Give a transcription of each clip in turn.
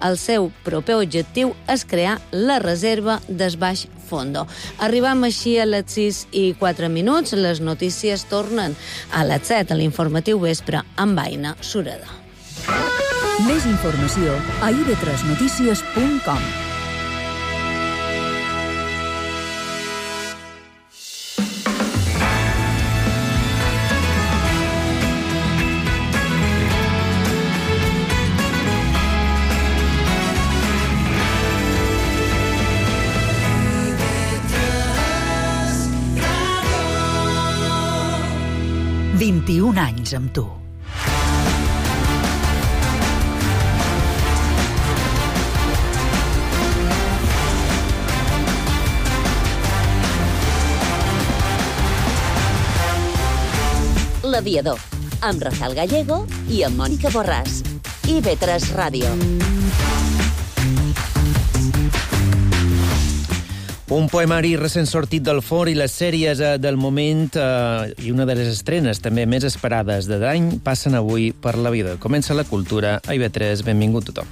El seu proper objectiu és crear la reserva del Baix Fondo. Arribam així a les 6:04. Les notícies tornen a les 7 a l'informatiu vespre amb Aina Sureda. Més informació a ib3notícies.com. IB3 21 anys amb tu. L'Aviador, amb Rafael Gallego i amb Mònica Borràs. IB3 Ràdio. Un poemari recent sortit del forn i les sèries del moment i una de les estrenes també més esperades de l'any passen avui per l'Aviador. Comença la cultura a IB3. Benvingut tothom.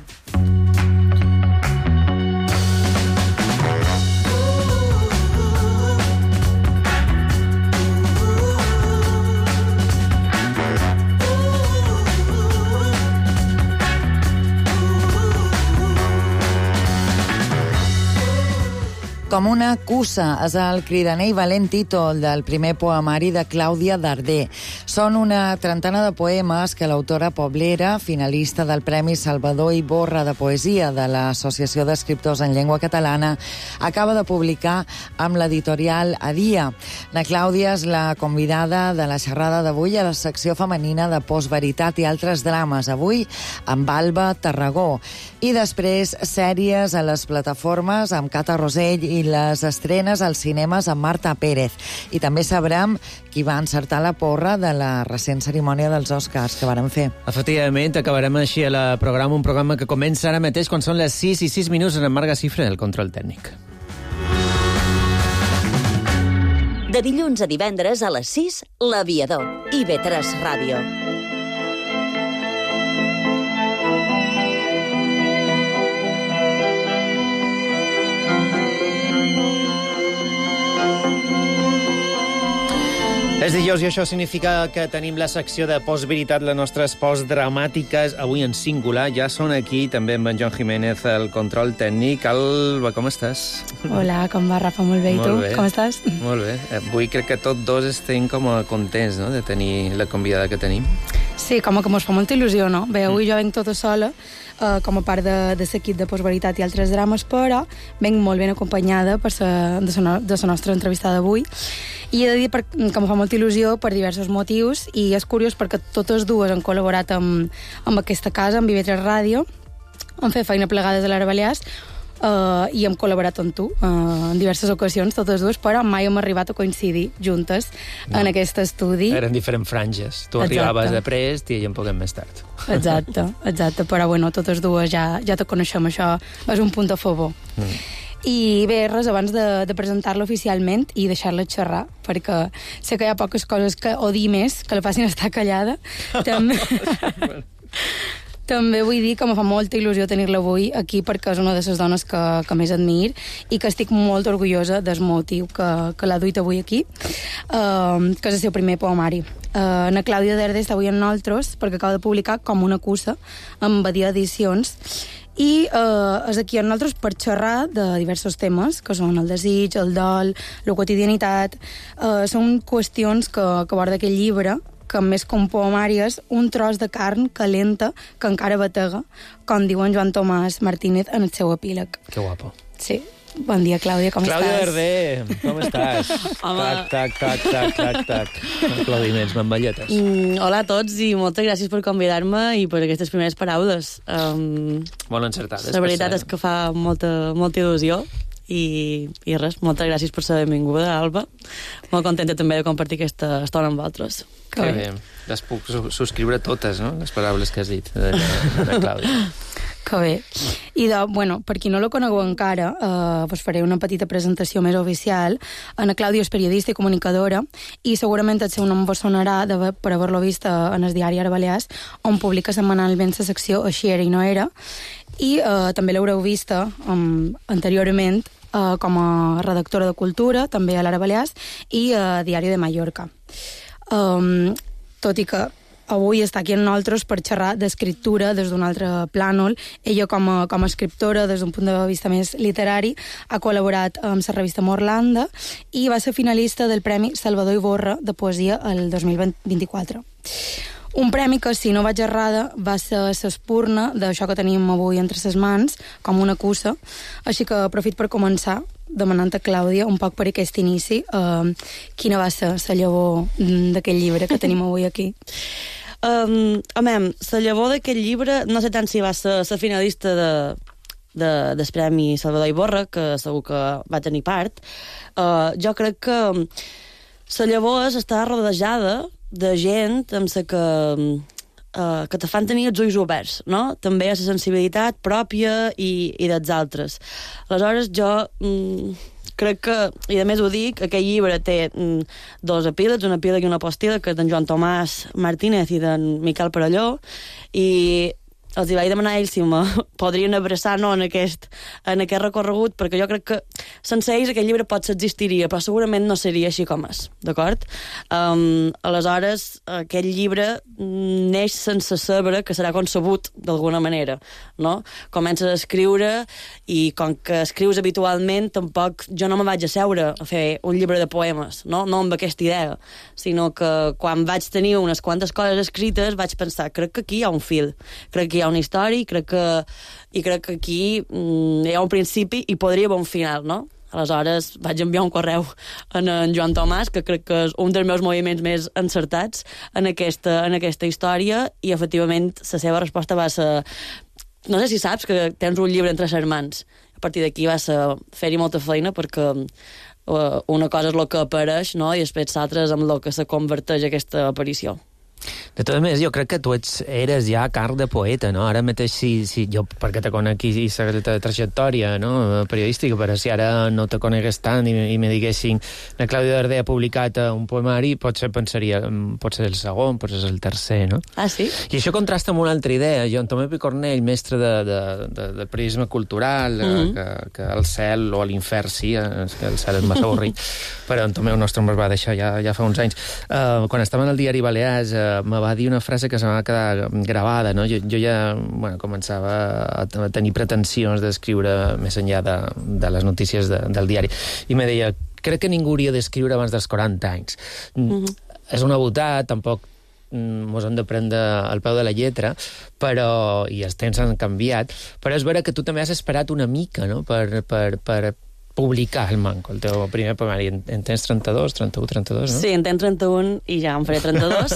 Com una cussa és el cridaner i valent títol del primer poemari de Clàudia Darder. Són una trentena de poemes que l'autora poblera, finalista del Premi Salvador Iborra de Poesia de l'Associació d'Escriptors en Llengua Catalana, acaba de publicar amb l'editorial Adia. Na Clàudia és la convidada de la xerrada d'avui a la secció femenina de Postveritat i altres drames. Avui amb Alba Tarragó. I després sèries a les plataformes amb Cata Rosell i les estrenes als cinemes amb Marta Pérez. I també sabrem qui va encertar la porra de la recent cerimònia dels Oscars que varen fer. Efectivament, acabarem així un programa que comença ara mateix quan són les 6:06 en Marga Cifre, el control tècnic. De dilluns a divendres a les 6, l'Aviador. IB3 Ràdio. És dijous i això significa que tenim la secció de Postveritat, les nostres postdramàtiques, avui en singular. Ja són aquí, també amb en Joan Jiménez, el control tècnic. Alba, com estàs? Hola, com va, Rafa? Molt bé. I tu? Com estàs? Molt bé. Avui crec que tots dos estem com contents, no?, de tenir la convidada que tenim. Sí, com que mos fa molta il·lusió, no? Bé, avui jo venc tota sola, com a part de l'equip de Postveritat i altres drames, però venc molt ben acompanyada de la nostra entrevista d'avui. I he de dir que em fa molta il·lusió per diversos motius, i és curiós perquè totes dues han col·laborat amb aquesta casa, amb IB3 Ràdio, han fet feina plegades a l'Ara Balears, i hem col·laborat amb tu en diverses ocasions, totes dues, però mai hem arribat a coincidir juntes en aquest estudi. Eren diferents franges. Tu arribaves després i un poc més tard. Exacte. Però bueno, totes dues ja te coneixem, això és un punt a favor. I bé, res, abans de presentar-la oficialment i deixar-la xerrar, perquè sé que hi ha poques coses o dir més que la facin estar callada. També vull dir que em fa molta il·lusió tenir-la avui aquí, perquè és una de les dones que més admir i que estic molt orgullosa del motiu que l'ha duit avui aquí, que és el seu primer poemari. Na Clàudia Darder està avui amb nosaltres perquè acaba de publicar Com una cussa amb Badia Edicions, i és aquí amb nosaltres per xerrar de diversos temes, que són el desig, el dol, la quotidianitat. Són qüestions que aborda aquest llibre, que més com poemari és un tros de carn calenta que encara batega, com diu en Joan Tomàs Martínez en el seu epíleg. Que guapo. Sí. Bon dia, Clàudia, com estàs? Clàudia Darder, com estàs? Tac. Aplaudiments, mamballetes. Hola a tots i moltes gràcies per convidar-me i per aquestes primeres paraules. Molt encertades. La veritat és que fa molta il·lusió i res, moltes gràcies per ser benvinguda, Alba. Molt contenta també de compartir aquesta estona amb vosaltres. Que bé. Les puc subscriure totes, no?, les paraules que has dit de Clàudia. Que bé. I per qui no la conegueu encara, vos faré una petita presentació més oficial. Ana Clàudia és periodista i comunicadora i segurament el seu nom vos sonarà per haver-lo vist en el diari Ara Balears, on publica setmanalment la secció Així era i no era, i també l'haureu vista anteriorment com a redactora de cultura, també a l'Ara Balears, i a Diari de Mallorca. Tot i que avui està aquí amb nosaltres per xerrar d'escriptura des d'un altre plànol. Ella, com a escriptora, des d'un punt de vista més literari, ha col·laborat amb la revista Morlanda i va ser finalista del Premi Salvador Iborra de Poesia el 2024. Un premi que, si no vaig errada, va ser l'espurna d'això que tenim avui entre ses mans, com una cussa. Així que aprofit per començar demanant a Clàudia un poc per aquest inici quina va ser la llavor d'aquest llibre que tenim avui aquí. La llavor d'aquest llibre, no sé tant si va ser la finalista del Premi Salvador Iborra, que segur que va tenir part. Jo crec que la llavor està rodejada de gent amb la que te fan tenir els ulls oberts, no? També a la sensibilitat pròpia i dels altres. Aleshores, jo crec que, i a més ho dic, aquest llibre té dos epílegs, un epíleg i una postíleg, que és d'en Joan Tomàs Martínez i d'en Miquel Perelló, i els hi vaig demanar a ells si me podrien abraçar en aquest recorregut, perquè jo crec que sense ells aquest llibre potser existiria, però segurament no seria així com és, d'acord? Aleshores, aquest llibre neix sense saber que serà concebut d'alguna manera, no? Comences a escriure i com que escrius habitualment, tampoc jo no me vaig asseure a fer un llibre de poemes, no amb aquesta idea, sinó que quan vaig tenir unes quantes coses escrites vaig pensar, crec que aquí hi ha un fil, crec que hi ha una història i crec que aquí hi ha un principi i podria haver un final, no? Aleshores vaig enviar un correu a en Joan Tomàs, que crec que és un dels meus moviments més encertats en aquesta història, i efectivament la seva resposta va ser: no sé si saps que tens un llibre entre les mans. A partir d'aquí va ser fer-hi molta feina, perquè una cosa és el que apareix, no? I després l'altra és amb el que se converteix aquesta aparició. De totes maneres, jo crec que tu eres ja carn de poeta, no? Ara mateix, si jo, perquè te conec i la trajectòria, no?, periodística, però si ara no te conegués tant i me diguessin la Clàudia Darder ha publicat un poemari, potser pensaria, pot ser el segon, pot ser el tercer, no? Ah, sí? I això contrasta amb una altra idea. Jo, en Tomé Picornell, mestre de periodisme cultural, que el cel o l'infern, sí, és que el cel és massa avorrit, però en Tomé, el nostre, em va deixar ja fa uns anys. Quan estava en el diari Balears, me va dir una frase que se m'ha quedat gravada, no? Jo ja començava a tenir pretensions d'escriure més enllà de les notícies del diari. I me deia, crec que ningú hauria d'escriure abans dels 40 anys. És una botada, tampoc mos hem de prendre al peu de la lletra, però, i els temps han canviat, però és vera que tu també has esperat una mica, no?, per publicar el Manco, el teu primer poemari. En tens 32, 31, 32, no? Sí, en tens 31 i ja en faré 32.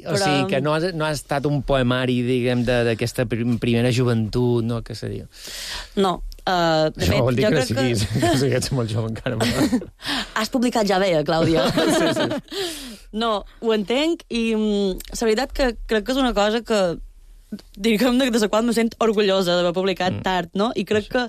O sigui, que no ha estat un poemari, diguem, d'aquesta primera joventut, no?, que seria. No. De fet, vol dir jo que crec sigues molt jove encara. Has publicat ja bé, Clàudia. Sí. No, ho entenc, i la veritat que crec que és una cosa que, diguem, de la qual me sent orgullosa d'haver publicat tard, no? I crec que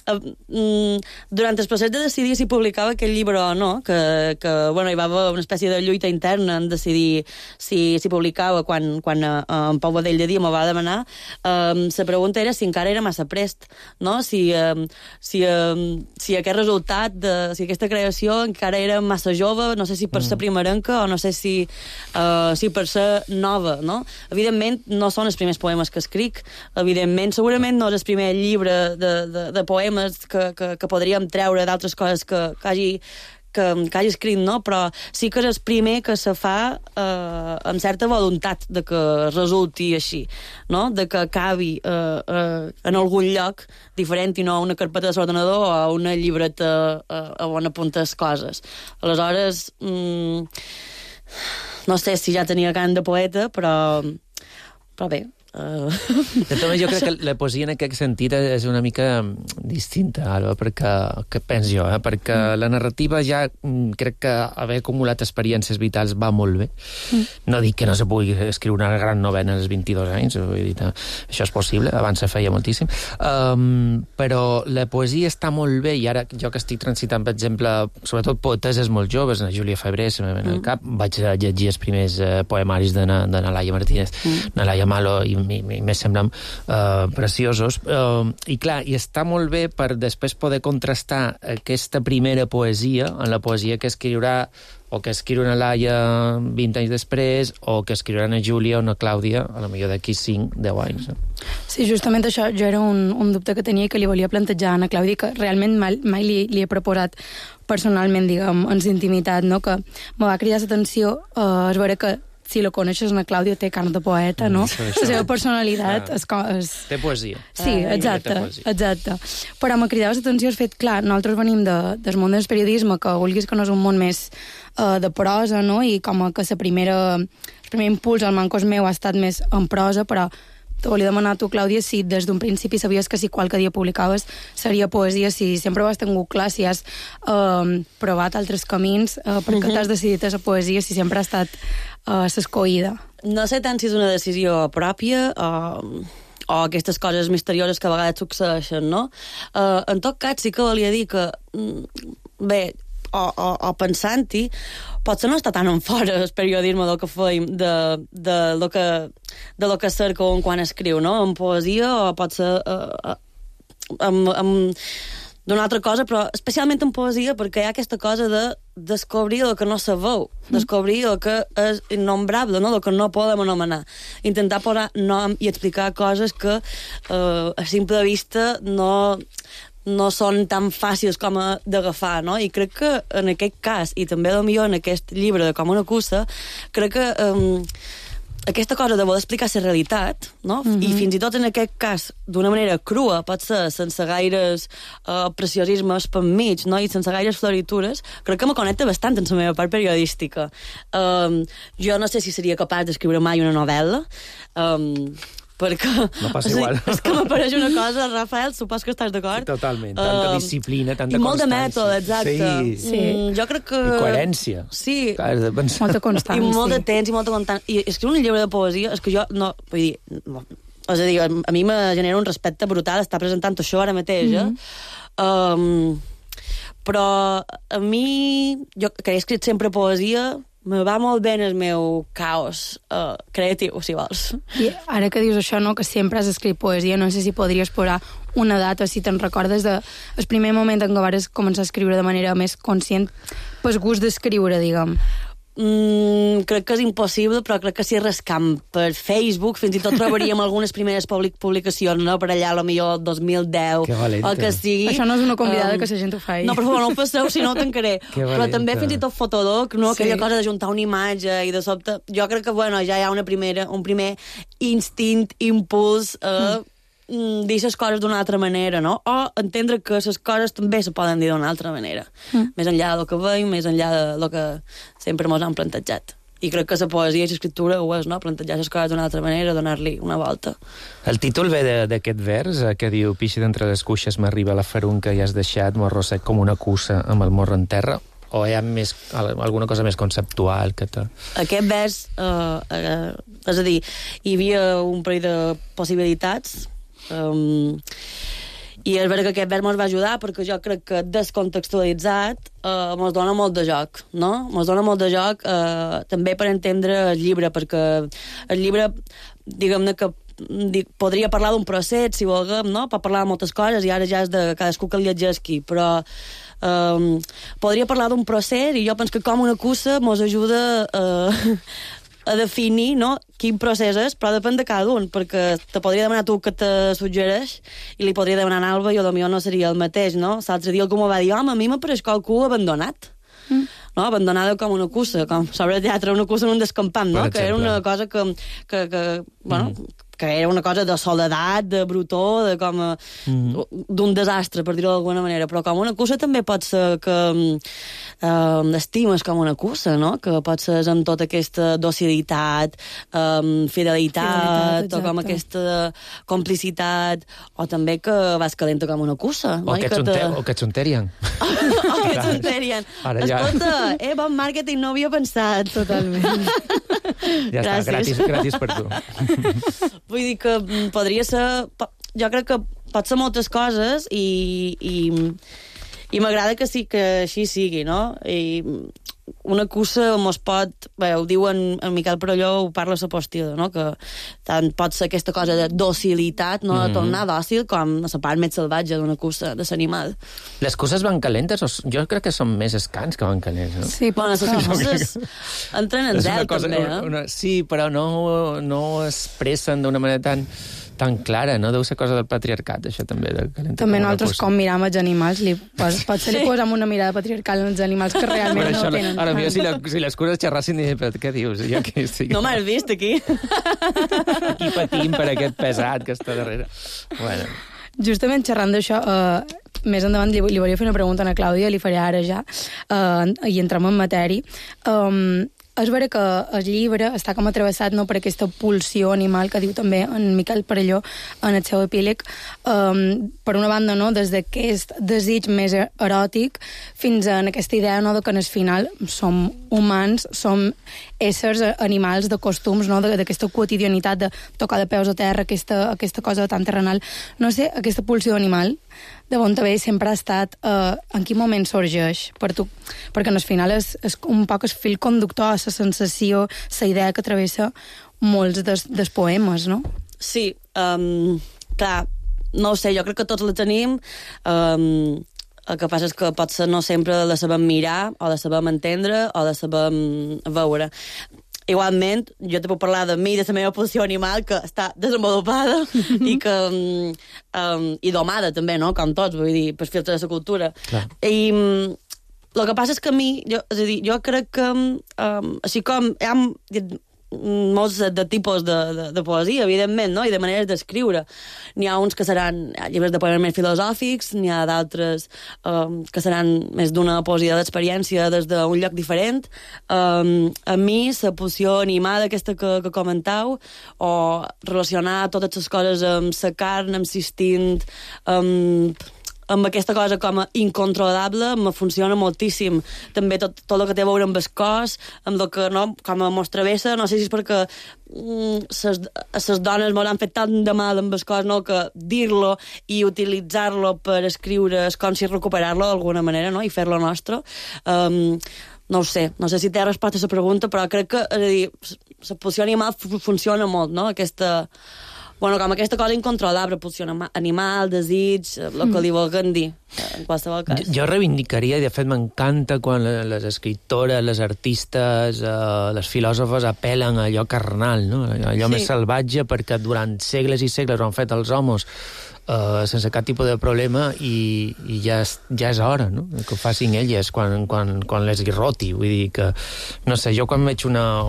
durant el procés de decidir si publicava aquest llibre o no, que bueno, hi va haver una espècie de lluita interna en decidir si publicava quan en Pau Badell de Dia m'ho va demanar, la pregunta era si encara era massa prest, no? Si aquest resultat, si aquesta creació encara era massa jove, no sé si per ser primerenca o no sé si per ser nova, no? Evidentment no són els primers poemes que escric, evidentment segurament no és el primer llibre de poemes que podríem treure d'altres coses que hagi escrit, no? Però sí que és el primer que se fa amb certa voluntat de que resulti així, no? De que acabi en algun lloc diferent i no a una carpeta de l'ordenador o a una llibreta on apuntes coses. Aleshores, no sé si ja tenia cant de poeta, però bé, De tot, jo crec que la poesia en aquest sentit és una mica distinta, Alba, perquè, que penso jo, perquè la narrativa ja crec que haver acumulat experiències vitals va molt bé. No dic que no se pugui escriure una gran novel·la als 22 anys, vull dir, això és possible, abans se feia moltíssim, però la poesia està molt bé, i ara jo que estic transitant, per exemple, sobretot poeteses molt joves, la Júlia Febrer, en el cap, vaig llegir els primers poemaris de Laia Martínez, Laia Malo, i me semblen preciosos. I clar, i està molt bé per després poder contrastar aquesta primera poesia amb la poesia que escriurà o que escriurà una Laia 20 anys després, o que escriurà una Júlia o una Clàudia, a la millor d'aquí 5-10 anys. Sí, justament això jo era un dubte que tenia i que li volia plantejar a Anna Clàudia, que realment mai li he proposat personalment, diguem, en intimitat, no? Que me va cridar l'atenció és veure que si la coneixes, Anna Clàudia té carn de poeta, no? La seva personalitat és... Té poesia. Sí, exacte. Però m'ha cridat l'atenció el fet, clar, nosaltres venim del món del periodisme, que vulguis que no és un món més de prosa, no? I com que el primer impuls al mancos meu ha estat més en prosa, però te volia demanar a tu, Clàudia, si des d'un principi sabies que si qualque dia publicaves seria poesia, si sempre ho has tingut clar, si has provat altres camins, perquè t'has decidit a la poesia, si sempre ha estat s'escoïda. No sé tant si és una decisió pròpia o aquestes coses misterioses que a vegades succeeixen, no? En tot cas, sí que volia dir que, bé, o pensant-hi, potser no està tan en fora el periodisme del que feim, de lo que cerca un quan escriu, no? En poesia, o potser d'una altra cosa, però especialment en poesia, perquè hi ha aquesta cosa de descobrir el que no sabeu, descobrir el que és innombrable, no? El que no podem anomenar. Intentar posar nom i explicar coses que a simple vista no són tan fàcils com d'agafar, no? I crec que en aquest cas, i també potser en aquest llibre de Com una cussa, crec que aquesta cosa de voler explicar la realitat, no? I fins i tot en aquest cas d'una manera crua, pot ser sense gaires preciosismes per mig, no? I sense gaires floritures, crec que me connecta bastant en la meva part periodística. Jo no sé si seria capaç d'escriure mai una novel·la, perquè no passa igual. És que m'apareix una cosa, Rafael, supos que estàs d'acord? Sí, totalment, tanta disciplina, tanta constància. I molt de mètode, exacte. Sí. Jo crec que... I coherència. Sí. Molta constància. I molt de temps i molta constància. I escriure un llibre de poesia, és que jo no... Vull dir, no, és a dir, a mi me genera un respecte brutal estar presentant això ara mateix, però a mi, jo que he escrit sempre poesia, me va molt bé en el meu caos creatiu, si vols. I ara que dius això, no, que sempre has escrit poesia, no sé si podries posar una data, si te'n recordes del primer moment en què vas començar a escriure de manera més conscient, pel gust d'escriure, diguem. Crec que és impossible, però crec que si rascam per Facebook fins i tot trobaríem algunes primeres publicacions, no? Per allà, potser 2010, o que sigui. Això no és una convidada que la gent ho faci. No, per favor, no ho passeu, si no ho tancaré. Però també fins i tot Fotolog, no? Aquella cosa d'ajuntar una imatge i de sobte... Jo crec que, bueno, ja hi ha un primer instint, impuls dir les coses d'una altra manera, no? O entendre que les coses també se poden dir d'una altra manera. Més enllà del que veiem, més enllà del que sempre ens han plantejat. I crec que la poesia i l'escriptura ho és, no? Plantejar les coses d'una altra manera, donar-li una volta. El títol ve d'aquest vers que diu «Pixi d'entre les cuixes m'arriba la farunca i has deixat morro sec com una cussa amb el morro en terra». O hi ha alguna cosa més conceptual que té? Aquest vers, és a dir, hi havia un parell de possibilitats, i és veritat que aquest vers ens va ajudar perquè jo crec que descontextualitzat ens dona molt de joc, no? Ens dona molt de joc també per entendre el llibre, perquè el llibre, diguem-ne que podria parlar d'un procés, si volguem, no? Pot parlar de moltes coses i ara ja és de cadascú que el llegeixi, però podria parlar d'un procés i jo penso que Com una cussa ens ajuda a definir, no, quin procés és, però depèn de cada un, perquè te podria demanar tu que te suggereix i li podria demanar a Alba i potser no seria el mateix, no? L'altre dia algú m'ho va dir, home, a mi m'apareix qualcú abandonat. No? Abandonada com una cussa, com sobre el teatre una cussa en un descampant, no? Que era una cosa que que era una cosa de soledat, de brutó, de com d'un desastre, per dir-ho d'alguna manera, però com una cussa també pot ser que estimes com una cussa, no? Que pot ser amb tota aquesta docilitat, fidelitat, o com aquesta complicitat, o també que vas calenta com una cussa. O que ets un Terian. O que ets un Terian. Escolta, bon màrqueting, no havia pensat. Totalment. Ja està, gratis per tu. Vull dir que podria ser... Jo crec que pot ser moltes coses i m'agrada que sí que així sigui, no? I una cussa mos pot... Bé, ho diu en Miquel Perelló, ho parla a la postida, no? Que tant pot ser aquesta cosa de docilitat, no? De tornar dòcil, com la part més salvatge d'una cussa, de l'animal. Les cusses van calentes? Jo crec que són més escans que van calents, no? Sí, bueno, les cusses entren en zel, també, eh? Sí, però no expressen d'una manera tan clara, no? Deu ser cosa del patriarcat, això també, de calenta. També nosaltres, com miram els animals, potser li posem una mirada patriarcal als animals que realment no tenen. Ara, mira, si les cures xerrassin, diré, però què dius? Jo aquí estic... No m'has vist, aquí? Aquí patim per aquest pesat que està darrere. Bueno. Justament xerrant d'això, més endavant li volia fer una pregunta a la Clàudia, li faré ara ja, i entrem en matèria. És vera que el llibre està com atravessat, no, per aquesta pulsió animal que diu també en Miquel Perelló en el seu epíleg. Per una banda, no, des d'aquest desig més eròtic fins a aquesta idea, no, de que en el final som humans, som éssers animals de costums, no, d'aquesta quotidianitat de tocar de peus a terra, aquesta cosa tan terrenal. No sé, aquesta pulsió animal de bon també sempre ha estat en quin moment sorgeix per tu, perquè al final és un poc el fil conductor, la sensació, la idea que travessa molts dels poemes, no? Sí, clar, no ho sé, jo crec que tots la tenim. El que passa és que potser no sempre la sabem mirar, o la sabem entendre, o la sabem veure. Igualment, jo te puc parlar de mi, de la meva pulsió animal, que està desenvolupada i que i domada també, no? Com tots, vull dir, per filtre de la cultura. Clar. I el que passa és que a mi, jo crec que així com hi ha molts de tipus de poesia, evidentment, no? I de maneres d'escriure. N'hi ha uns que seran llibres de poemes més filosòfics, n'hi ha d'altres que seran més d'una poesia d'experiència des d'un lloc diferent. A mi, la pulsió animada aquesta que comentau, o relacionar totes les coses amb la carn, amb l'instint, amb aquesta cosa com a incontrolable, me funciona moltíssim. També tot el que té a veure amb el cos, amb el que, no, com a mos travessa, no sé si és perquè les dones m'han fet tant de mal amb el cos, no, que dir-lo i utilitzar-lo per escriure és com si recuperar-lo d'alguna manera, no, i fer-lo nostre. No ho sé, no sé si té resposta a la pregunta, però crec que, és a dir, la pulsió animal funciona molt, no? Bueno, com aquesta cosa incontrolable, pulsió animal, desig, el que li vulguem dir, en qualsevol cas. Jo reivindicaria, i de fet m'encanta quan les escriptores, les artistes, les filòsofes apel·len a allò carnal, no? Allò més salvatge, perquè durant segles i segles ho han fet els homes sense cap tipus de problema i ja és hora, no?, que ho facin elles quan les irroti. Vull dir que, no sé, jo quan veig una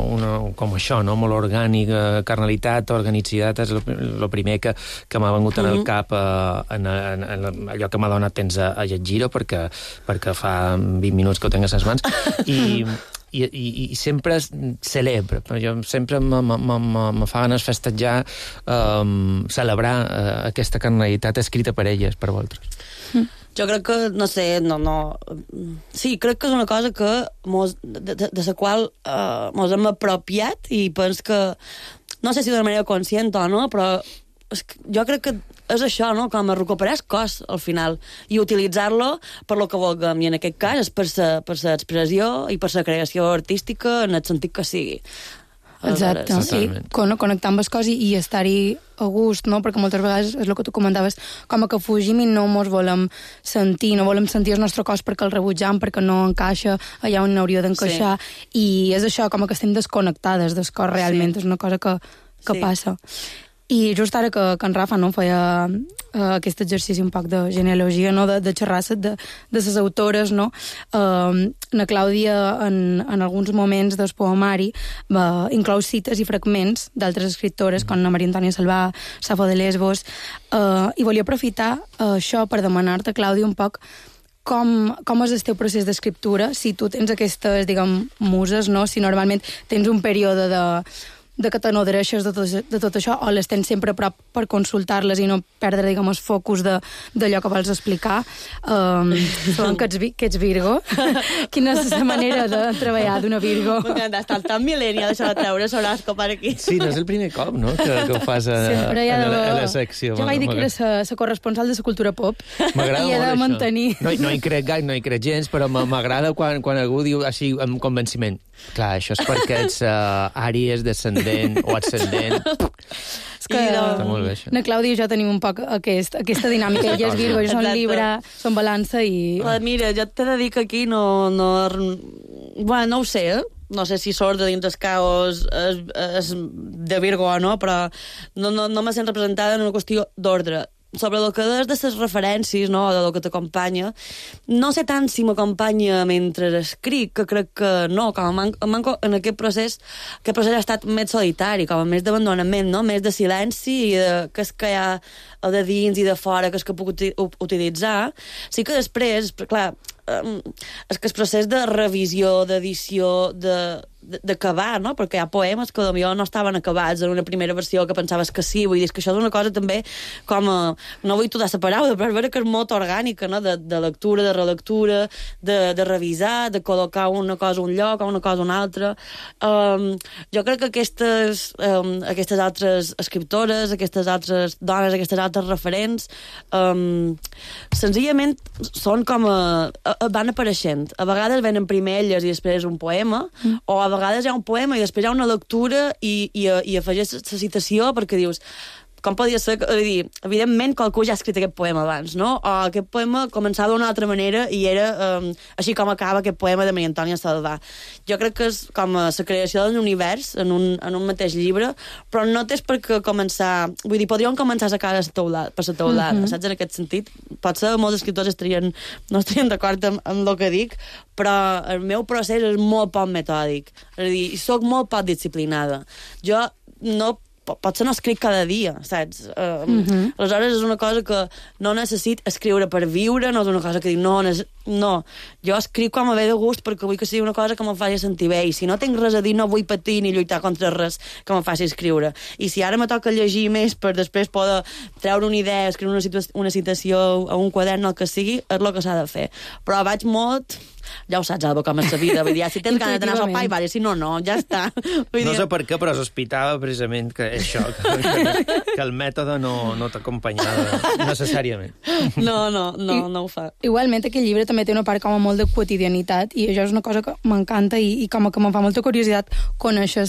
com això, no?, molt orgànica, carnalitat, organicitat, és el primer que m'ha vengut en el cap en allò que m'ha donat temps a llegir-ho, perquè fa 20 minuts que ho tinc a les mans, i sempre celebra. Jo sempre me fa ganes festejar, celebrar aquesta carnalitat escrita per elles, per vosaltres. Jo crec que, no sé, sí, crec que és una cosa que de la qual mos hem apropiat i pens que, no sé si d'una manera conscient o no, però jo crec que és això, no?, com a recuperar el cos al final i utilitzar-lo per lo que vulguem, i en aquest cas és per la expressió i per la creació artística en el sentit que sigui. Exacte, sí, connectar amb el cos i estar-hi a gust, no?, perquè moltes vegades és el que tu comentaves, com que fugim i no mos volem sentir, no volem sentir el nostre cos perquè el rebutjam, perquè no encaixa allà on hauria d'encaixar, i és això, com que estem desconnectades del cos realment, és una cosa que passa. I just ara que en Rafa no feia aquest exercici un poc de genealogia, no? de xerrar de les autores, no? Na Clàudia, en alguns moments del poemari, inclou cites i fragments d'altres escriptores, com la Maria Antònia Salvà, Safo de Lesbos, i volia aprofitar això per demanar-te, Clàudia, un poc com és el teu procés d'escriptura, si tu tens aquestes, diguem, muses, no? Si normalment tens un període de que te n'adhereixes de tot això, o les tens sempre a prop per consultar-les i no perdre, diguem, el focus d'allò que vols explicar. Sabem que ets Virgo. Quina és la manera de treballar d'una Virgo? M'encanta, està tan millennial això de treure l'horòscop per aquí. Sí, no és el primer cop, no?, que ho fas a la secció. Jo vaig dir que era la corresponsal de la cultura pop. M'agrada i he de mantenir. No hi crec gaire, no hi crec gens, però m'agrada quan algú diu així amb convenciment. Clar, això és perquè ets Àries descendent o ascendent. És que na Clàudia i jo tenim un poc aquesta dinàmica. Ella és Virgo, jo són Libra, són Balança i... Mira, jo t'he de dir que aquí no ho sé, no sé si sort de dins el caos és de Virgo o no, però no me sent representada en una qüestió d'ordre. Sobre el que des de les referències, no?, de lo que t'acompanya, no sé tant si m'acompanya mentre escric, que crec que no, com en aquest procés ha estat més solitari, com més d'abandonament, no?, més de silenci, i que és que hi ha de dins i de fora, que és que puc utilitzar. Sí que després, clar, és que el procés de revisió, d'edició, d'acabar, no? Perquè hi ha poemes que potser no estaven acabats en una primera versió que pensaves que sí, vull dir que això és una cosa també com no vull tudar la paraula, però és vera que és molt orgànica, no? De lectura, de relectura, de revisar, de col·locar una cosa a un lloc, una cosa a un altre. Jo crec que aquestes altres escriptores, aquestes altres dones, aquestes altres referents, senzillament són com van apareixent. A vegades venen primer elles i després un poema, o a vegades hi ha un poema i després hi ha una lectura i afegeix la citació perquè dius, com podia ser, evidentment qualcú ja ha escrit aquest poema abans, no? O aquest poema començava d'una altra manera i era així com acaba aquest poema de Maria Antònia Salvà. Jo crec que és com la creació d'un univers en un mateix llibre, però no tens per què començar... Vull dir, podríem començar a sacar per la teulada, saps, en aquest sentit? Potser molts escriptors no estarien d'acord amb el que dic, però el meu procés és molt poc metòdic. És a dir, soc molt poc disciplinada. Jo potser no escric cada dia, saps? Aleshores és una cosa que no necessit escriure per viure, no és una cosa que dic, no. Jo escric quan me ve de gust perquè vull que sigui una cosa que me faci sentir bé, i si no tinc res a dir no vull patir ni lluitar contra res que me faci escriure. I si ara me toca llegir més per després poder treure una idea, escriure una citació a un quadern, el que sigui, és el que s'ha de fer. Però vaig molt... Ja ho saps, Alba, com és la vida. Vull dir, si tens ganes d'anar a sopar i vale, si no, ja està. No sé per què, però sospitava precisament que això, que el mètode no t'acompanyava necessàriament. No ho fa. Igualment, aquest llibre també té una part com a molt de quotidianitat, i això és una cosa que m'encanta i com que em fa molta curiositat conèixer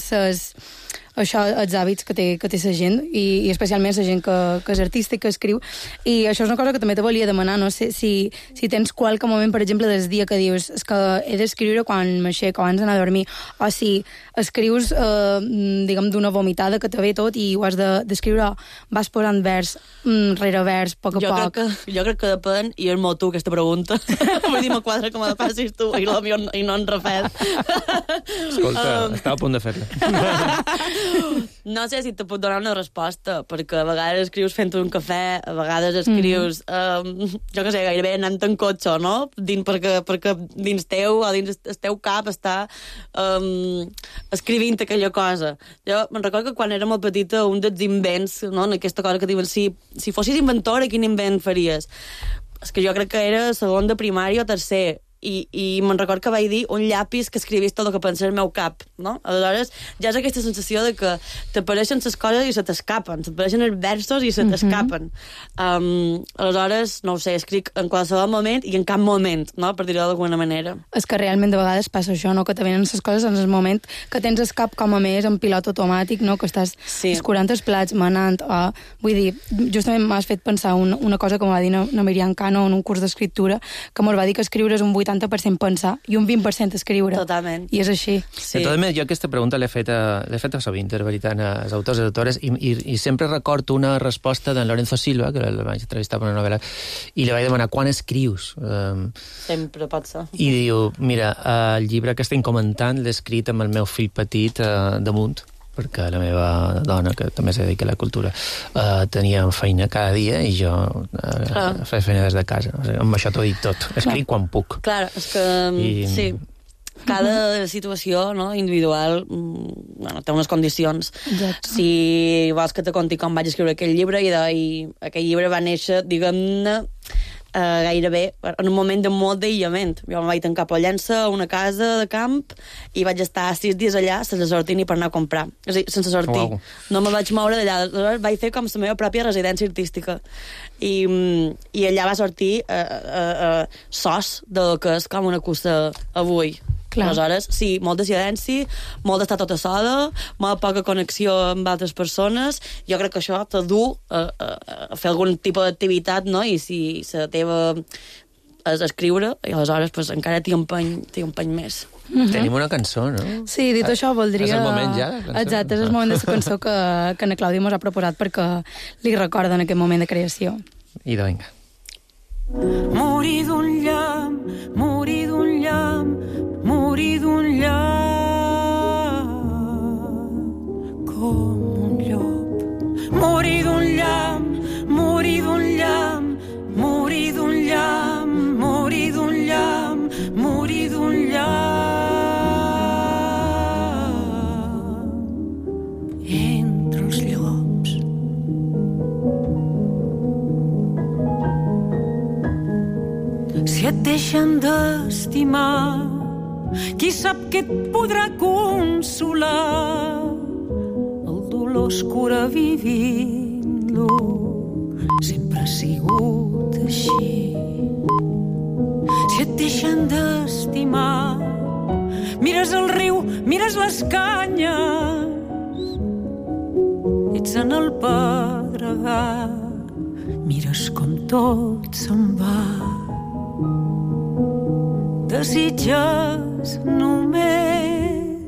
els hàbits que té la gent, i especialment la gent que és artista i que escriu. I això és una cosa que també te volia demanar, no sé si tens qualque moment, per exemple, del dia que dius és que he d'escriure quan m'aixeco, abans d'anar a dormir, o si escrius, diguem, d'una vomitada que te ve tot i ho has d'escriure, vas posant vers rere vers, a poc. Jo crec que depèn, i és molt tu aquesta pregunta. Vull dir, me quadra que me la passis tu i no en refet. Escolta, estava a punt de fer-la. No sé si te puc donar una resposta, perquè a vegades escrius fent un cafè, a vegades escrius, jo què sé, gairebé anant en cotxe, no? Perquè dins teu o dins el teu cap està escrivint aquella cosa. Jo me'n recordo que quan era molt petita, un dels invents, no?, en aquesta cosa que diuen, si fossis inventora, quin invent faries? És que jo crec que era segon de primària o tercer, i me'n record que vaig dir un llapis que escrivís tot el que pensés al meu cap, no? Aleshores ja és aquesta sensació de que t'apareixen les coses i se t'escapen, t'apareixen els versos i se t'escapen. Aleshores, no ho sé, escric en qualsevol moment i en cap moment, no?, per dir-ho d'alguna manera. És que realment de vegades passa això, no?, que te venen les coses en el moment que tens el cap com a més en pilot automàtic, no?, que estàs escurant els plats, manant, vull dir, justament m'has fet pensar una cosa que m'ho va dir na Miriam Cano en un curs d'escriptura, que m'ho va dir que escriure és un 8 80% pensar i un 20% escriure. Totalment. I és així. Sí. De totes maneres, jo aquesta pregunta l'he fet a sovint, de veritat, als autors i autores, i sempre recordo una resposta d'en Lorenzo Silva, que el vaig entrevistar per una novel·la, i li vaig demanar quan escrius. Sempre pot ser. I diu, mira, el llibre que estem comentant l'he escrit amb el meu fill petit damunt, perquè la meva dona, que també se dedica a la cultura, tenia feina cada dia i jo feia feina des de casa. O sigui, amb això t'ho dic tot. Escric quan puc. Clar, és que sí, cada situació, no, individual té unes condicions. Exacte. Si vols que te conti com vaig escriure aquell llibre, i aquell llibre va néixer, diguem-ne, gairebé en un moment de molt d'aïllament. Jo em vaig tancar a Pollença, a una casa de camp, i vaig estar 6 dies allà sense sortir ni per anar a comprar. És a dir, sense sortir. Wow. No me vaig moure d'allà. Aleshores vaig fer com la meva pròpia residència artística. I allà va sortir sos del que és com una cosa avui. Clar. Aleshores, sí, molt de silenci, molt d'estar tota sola, molt poca connexió amb altres persones. Jo crec que això te du a fer algun tipus d'activitat, no? I si la teva és escriure, i aleshores pues, encara t'hi empeny més. Tenim una cançó, no? Sí, dit això, voldria... És el moment ja? Exacte, és el moment de la cançó que na Clàudia mos ha proposat perquè li recorda en aquest moment de creació. I vinga. Morir d'un llamp, morir d'un llamp, morir d'un llamp, com un llop. Morir d'un llamp, morir d'un llamp, morir d'un llamp, morir d'un llamp, morir d'un llamp. Entre els llops. Si et deixen d'estimar, qui sap què et podrà consolar? El dolor es cura vivint-lo, sempre ha sigut així. Si et deixen d'estimar, mires el riu, mires les canyes, ets en el pedregar, mires com tot se'n va. Desitges només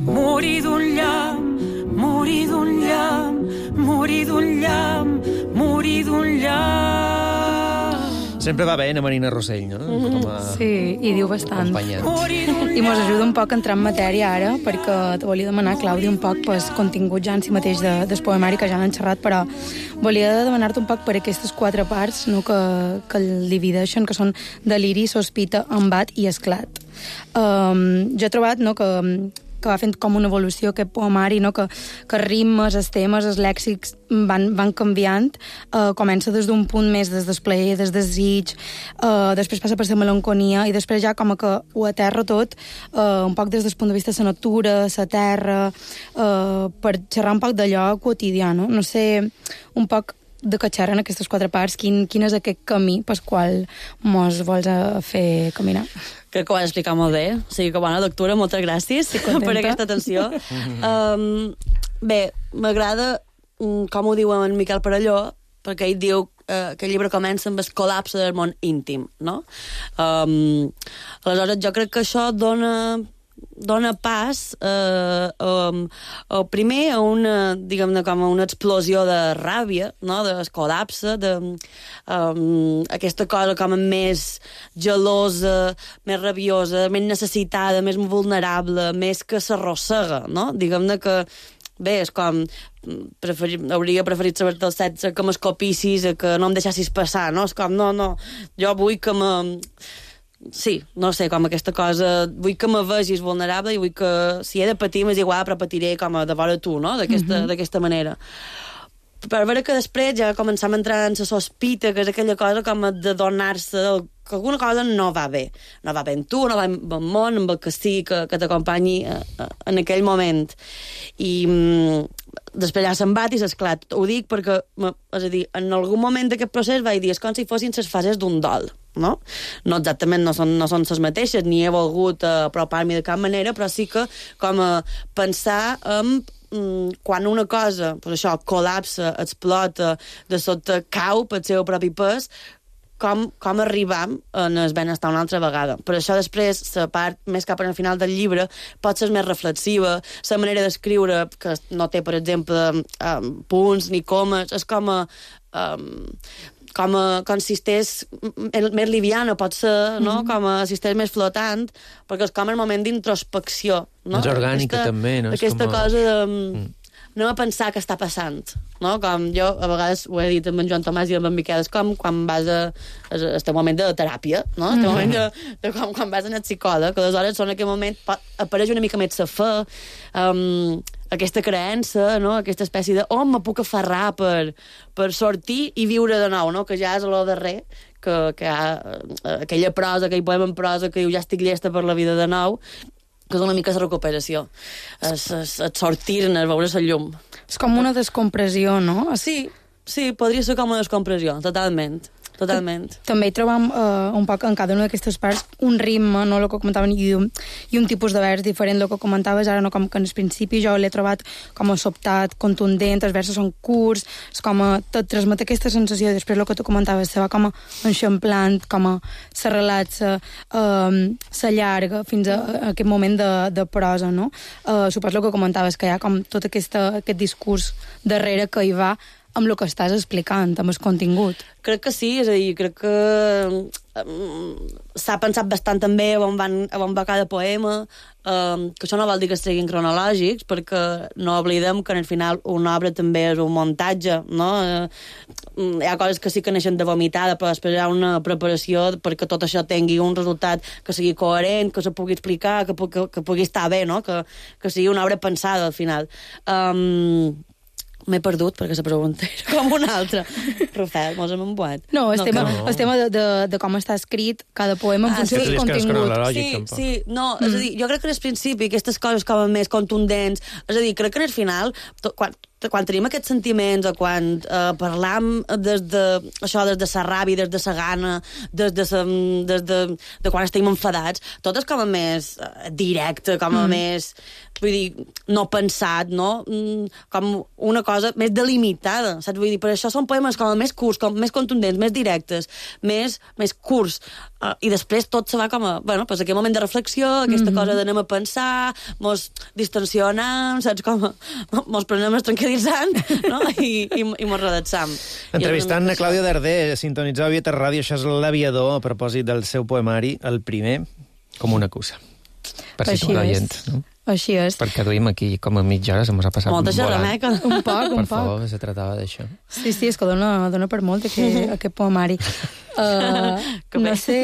morir d'un llamp, morir d'un llamp, morir d'un llamp, morir d'un llamp. Sempre va bé a Marina Rossell, no? Sí, i diu bastant. I mos ajuda un poc a entrar en matèria ara, perquè te volia demanar, Clàudia, un poc pues, contingut ja en si mateix del poemari, que ja n'han xerrat, però volia demanar-te un poc per aquestes 4 parts, no, que el divideixen, que són deliri, sospita, embat i esclat. Jo he trobat, no, que va fent com una evolució aquest poemari, no? que ritmes, els temes, els lèxics van canviant. Comença des d'un punt més des del plaer, des del desig, després passa per la melanconia, i després ja com que ho aterra tot, un poc des del punt de vista de la natura, la terra, per xerrar un poc d'allò quotidià, no? No sé, un poc de que xerren aquestes 4 parts, quin és aquest camí pel qual mos vols fer caminar? Crec que ho has explicat molt bé. O sigui que bona lectura, moltes gràcies per aquesta atenció. Bé, m'agrada com ho diu en Miquel Parelló, perquè ell diu que el llibre comença amb el col·lapse del món íntim, no? Aleshores, jo crec que això dona pas primer a una, diguem-ne, com a una explosió de ràbia, no? Del col·lapse, aquesta cosa com a més gelosa, més rabiosa, més necessitada, més vulnerable, més que s'arrossega, no? Diguem-ne que bé, és com hauria preferit saber dels 16 que m'escopissis, que no em deixassis passar, no? És com, no, jo vull que sí, no sé, com aquesta cosa, vull que me vegis vulnerable i vull que, si he de patir, m'és igual, però patiré com a de vora tu, no? D'aquesta manera. Per veure que després ja començam a entrar en la sospita, que és aquella cosa com de donar-se que alguna cosa no va bé. No va bé en tu, no va amb el món, amb el que sigui que t'acompanyi en aquell moment. I després ja se'n bat i s'esclat. Ho dic perquè, és a dir, en algun moment d'aquest procés vaig dir, és com si fossin les fases d'un dol, no? No exactament, no són les mateixes, ni he volgut apropar-m'hi de cap manera, però sí que com a pensar en quan una cosa, pues això, col·lapsa, explota, de sota cau pel seu propi pes, com arribam en el benestar una altra vegada. Per això després, la part més cap al final del llibre pot ser més reflexiva, la manera d'escriure, que no té, per exemple, punts ni comes, és com si estigués més liviana, pot ser, no? Com si estigués més flotant, perquè és com el moment d'introspecció. No? És orgànica, també, no? Aquesta cosa de... anem a pensar què està passant, no? Com jo, a vegades, ho he dit amb en Joan Tomàs i amb en Miquel, és com quan vas a este moment de teràpia, no? Este moment de quan vas a anar psicòleg, que aleshores en aquell moment apareix una mica més la fe, aquesta creença, no? Aquesta espècie de me puc aferrar per sortir i viure de nou, no? Que ja és lo darrer, que hi ha aquella prosa, aquell poema en prosa que diu ja estic llesta per la vida de nou, que és una mica la recuperació, és sortir-ne, veure la llum. És com una descompressió, no? Sí, podria ser com una descompressió, totalment. També hi trobam un poc en cada una d'aquestes parts un ritme, no, el que comentaven, i un tipus de vers diferent, el que comentaves ara, no, com que en el principi jo l'he trobat com a sobtat, contundent, els versos són curts, és com a, te transmet aquesta sensació, i després el que tu comentaves, se va com a enxamplant, com a se relaxa, se llarga fins a aquest moment de prosa, no? Suposo el que comentaves, que hi ha com tot aquest discurs darrere que hi va amb el que estàs explicant, amb el contingut. Crec que sí, és a dir, crec que s'ha pensat bastant també on va cada poema, que això no vol dir que es treguin cronològics, perquè no oblidem que al final una obra també és un muntatge, no? Hi ha coses que sí que neixen de vomitada, però després hi ha una preparació perquè tot això tingui un resultat que sigui coherent, que se pugui explicar, que pugui estar bé, no? Que sigui una obra pensada al final. M'he perdut perquè la pregunta era com una altra. Rafael, mos hem embuat. No, el tema de com està escrit cada poema en funció del contingut. Sí, no, és a dir, jo crec que al principi aquestes coses com més contundents, és a dir, crec que al final, quan tenim aquests sentiments o quan parlam des de la ràbia, des de la gana, des de quan estem enfadats, tot és com a més directe, com a més, vull dir, no pensat, no? Com una cosa més delimitada, saps? Vull dir, per això són poemes com a més curts, com més contundents, més directes, més curts, i després tot se va com a, bueno, pues aquest moment de reflexió, aquesta cosa d'anem a pensar, mos distensionem, saps? Com mos prenem el tranquil·litzant, no? I mos redactam. Entrevistant a Clàudia Darder, sintonitzar a Vietes Ràdio, això és l'Aviador, a propòsit del seu poemari, el primer, com una cusa. Per situar l'oient, no? Així és. Perquè duim aquí com a mitja hora, se mos ha passat molta xerrameca. Un poc. Per favor, se tractava d'això. Sí, és que dona per molt aquest poemari. No sé...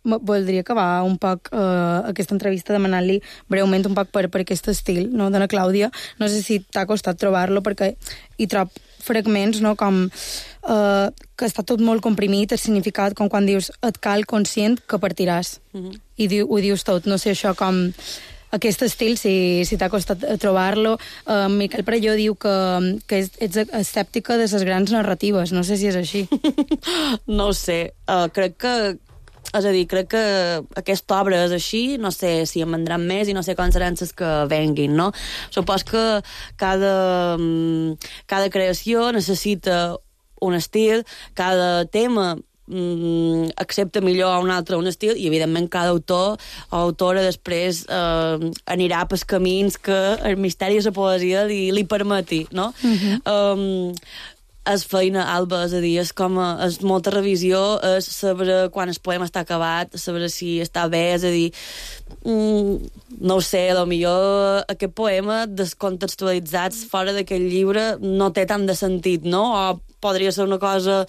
Voldria acabar un poc aquesta entrevista demanant-li breument un poc per aquest estil, no, de la Clàudia. No sé si t'ha costat trobar-lo, perquè hi trob fragments, no, com que està tot molt comprimit, el significat, com quan dius et cal conscient que partiràs. I ho dius tot, no sé, això com... Aquest estil, si t'ha costat trobar-lo. Miquel Prelló diu que ets escèptica de les grans narratives. No sé si és així. No ho sé. Crec que aquesta obra és així, no sé si en vendran més i no sé com seran les que venguin, no? Supos que cada creació necessita un estil, cada tema accepta millor a un altre un estil, i evidentment cada autor o autora després anirà pels camins que el misteri de la poesia li permeti, no? És feina, Alba, és a dir, és molta revisió, és saber quan el poema està acabat, saber si està bé, és a dir, no ho sé, potser aquest poema descontextualitzats fora d'aquest llibre no té tant de sentit, no? O podria ser una cosa...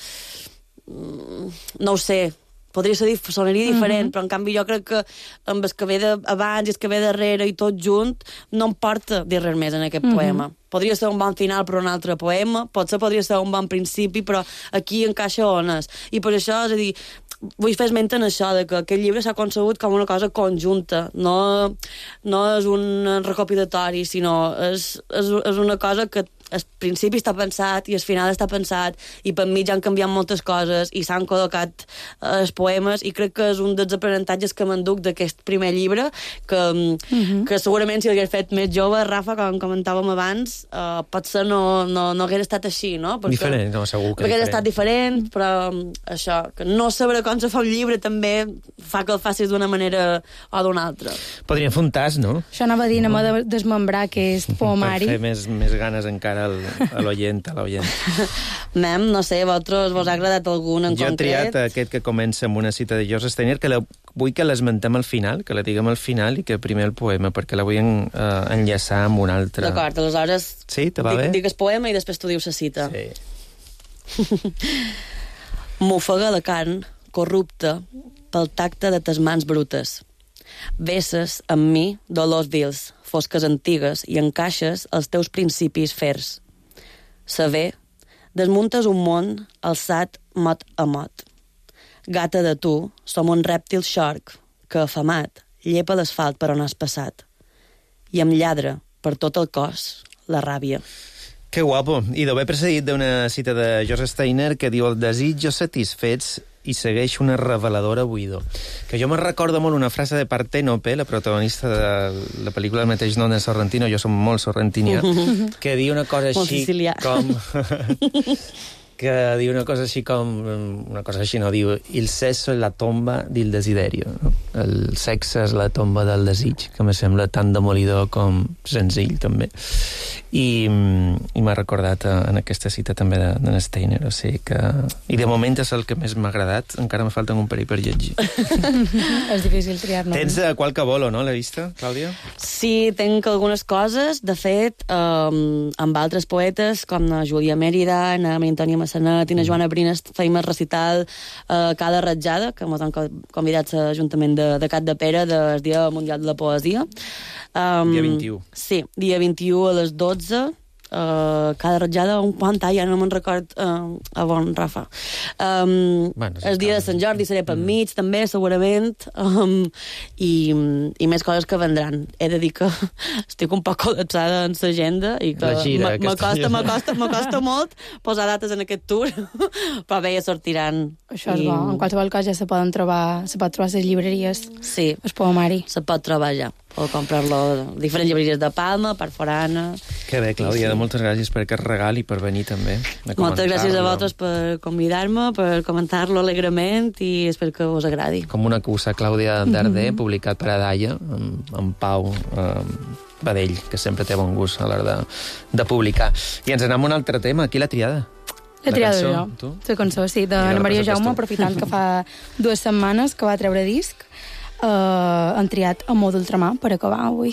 no ho sé, sonaria diferent, però en canvi jo crec que amb el que ve abans i el que ve darrere i tot junt no em porta dir res més en aquest poema. Podria ser un bon final per un altre poema, potser podria ser un bon principi, però aquí encaixa on és. I per això, és a dir, vull fer esment en això, de que aquest llibre s'ha concebut com una cosa conjunta, no és un recopilatori, sinó és una cosa que el principi està pensat i el final està pensat, i per mi ja han canviat moltes coses i s'han col·locat els poemes, i crec que és un dels aprenentatges que m'enduc d'aquest primer llibre, que segurament si l'hagués fet més jove, Rafa, com comentàvem abans, potser no hagués estat així, no? Diferent, no, segur que perquè ha estat diferent, però això, que no saber com se fa un llibre també fa que el facis d'una manera o d'una altra. Podríem fer un tas, no? Això anava a dir, anem a desmembrar aquest poemari. Per fer més ganes encara a l'oient, Mem, no sé, vosaltres vos ha agradat algun en concret? Jo he triat aquest que comença amb una cita de Joseph Steiner, que vull que l'esmentem al final, que la diguem al final i que primer el poema, perquè la vull enllaçar amb un altre. D'acord, aleshores sí, te va bé? Digues poema i després tu dius la cita. Sí. M'ofega la carn, corrupta, pel tacte de tes mans brutes. Vesses amb mi dolors vils, fosques antigues, i encaixes els teus principis fers. Saber, desmuntes un món alçat mot a mot. Gata de tu, som un rèptil xorc que, afamat, llepa l'asfalt per on has passat. I em lladra per tot el cos la ràbia. Que guapo. I d'haver precedit d'una cita de Joseph Steiner que diu: el desitjos satisfets i segueix una reveladora buidor. Que jo me'n recordo molt una frase de Partènope, la protagonista de la pel·lícula del mateix nom de Sorrentino, jo som molt sorrentinià, que diu una cosa així com... que diu una cosa així com... Una cosa així, no, diu: il sesso és la tomba del desiderio. No? El sexe és la tomba del desig, que me sembla tan demolidor com senzill, també. I m'ha recordat en aquesta cita també d'en Steiner, o sigui que... I de moment és el que més m'ha agradat, encara me falten un parell per llegir. És difícil triar-ne. Tens qualque bolo, no, l'he vista, Clàudia? Sí, tenc algunes coses. De fet, amb altres poetes, com na Júlia Mèrida, na Antònia Massanet i na Joana Brines, feim el recital cada ratjada, que ens han convidat a l'Ajuntament de Cat de Pere del Dia Mundial de la Poesia. Dia 21. Sí, dia 21 a les 12. Cada ratjada un quant, ja no me'n record a bon, Rafa. El dia de Sant Jordi seré per mig, també, segurament, i més coses que vendran. He de dir que estic un poc col·lapsada en l'agenda i que m'acosta molt posar dates en aquest tour, però bé, ja sortiran. Això és bo. En qualsevol cas ja se pot trobar a les llibreries. Sí. El poemari. Se pot trobar ja. O comprar-lo a diferents llibreries de Palma, per Forana... Que bé, Clàudia, moltes gràcies per aquest regal i per venir també. Moltes gràcies a vosaltres per convidar-me, per comentar-lo alegrement i espero que us agradi. Com una cusa, Clàudia Darder, publicat per Adaia, amb Pau Badell, que sempre té bon gust a l'hora de publicar. I ens anem a un altre tema. Qui l'ha triada? L'he triada jo. La cançó, sí, d'Anna Maria Jaume, aprofitant que fa 2 setmanes que va treure disc. Han triat Amor d'ultramar per acabar avui.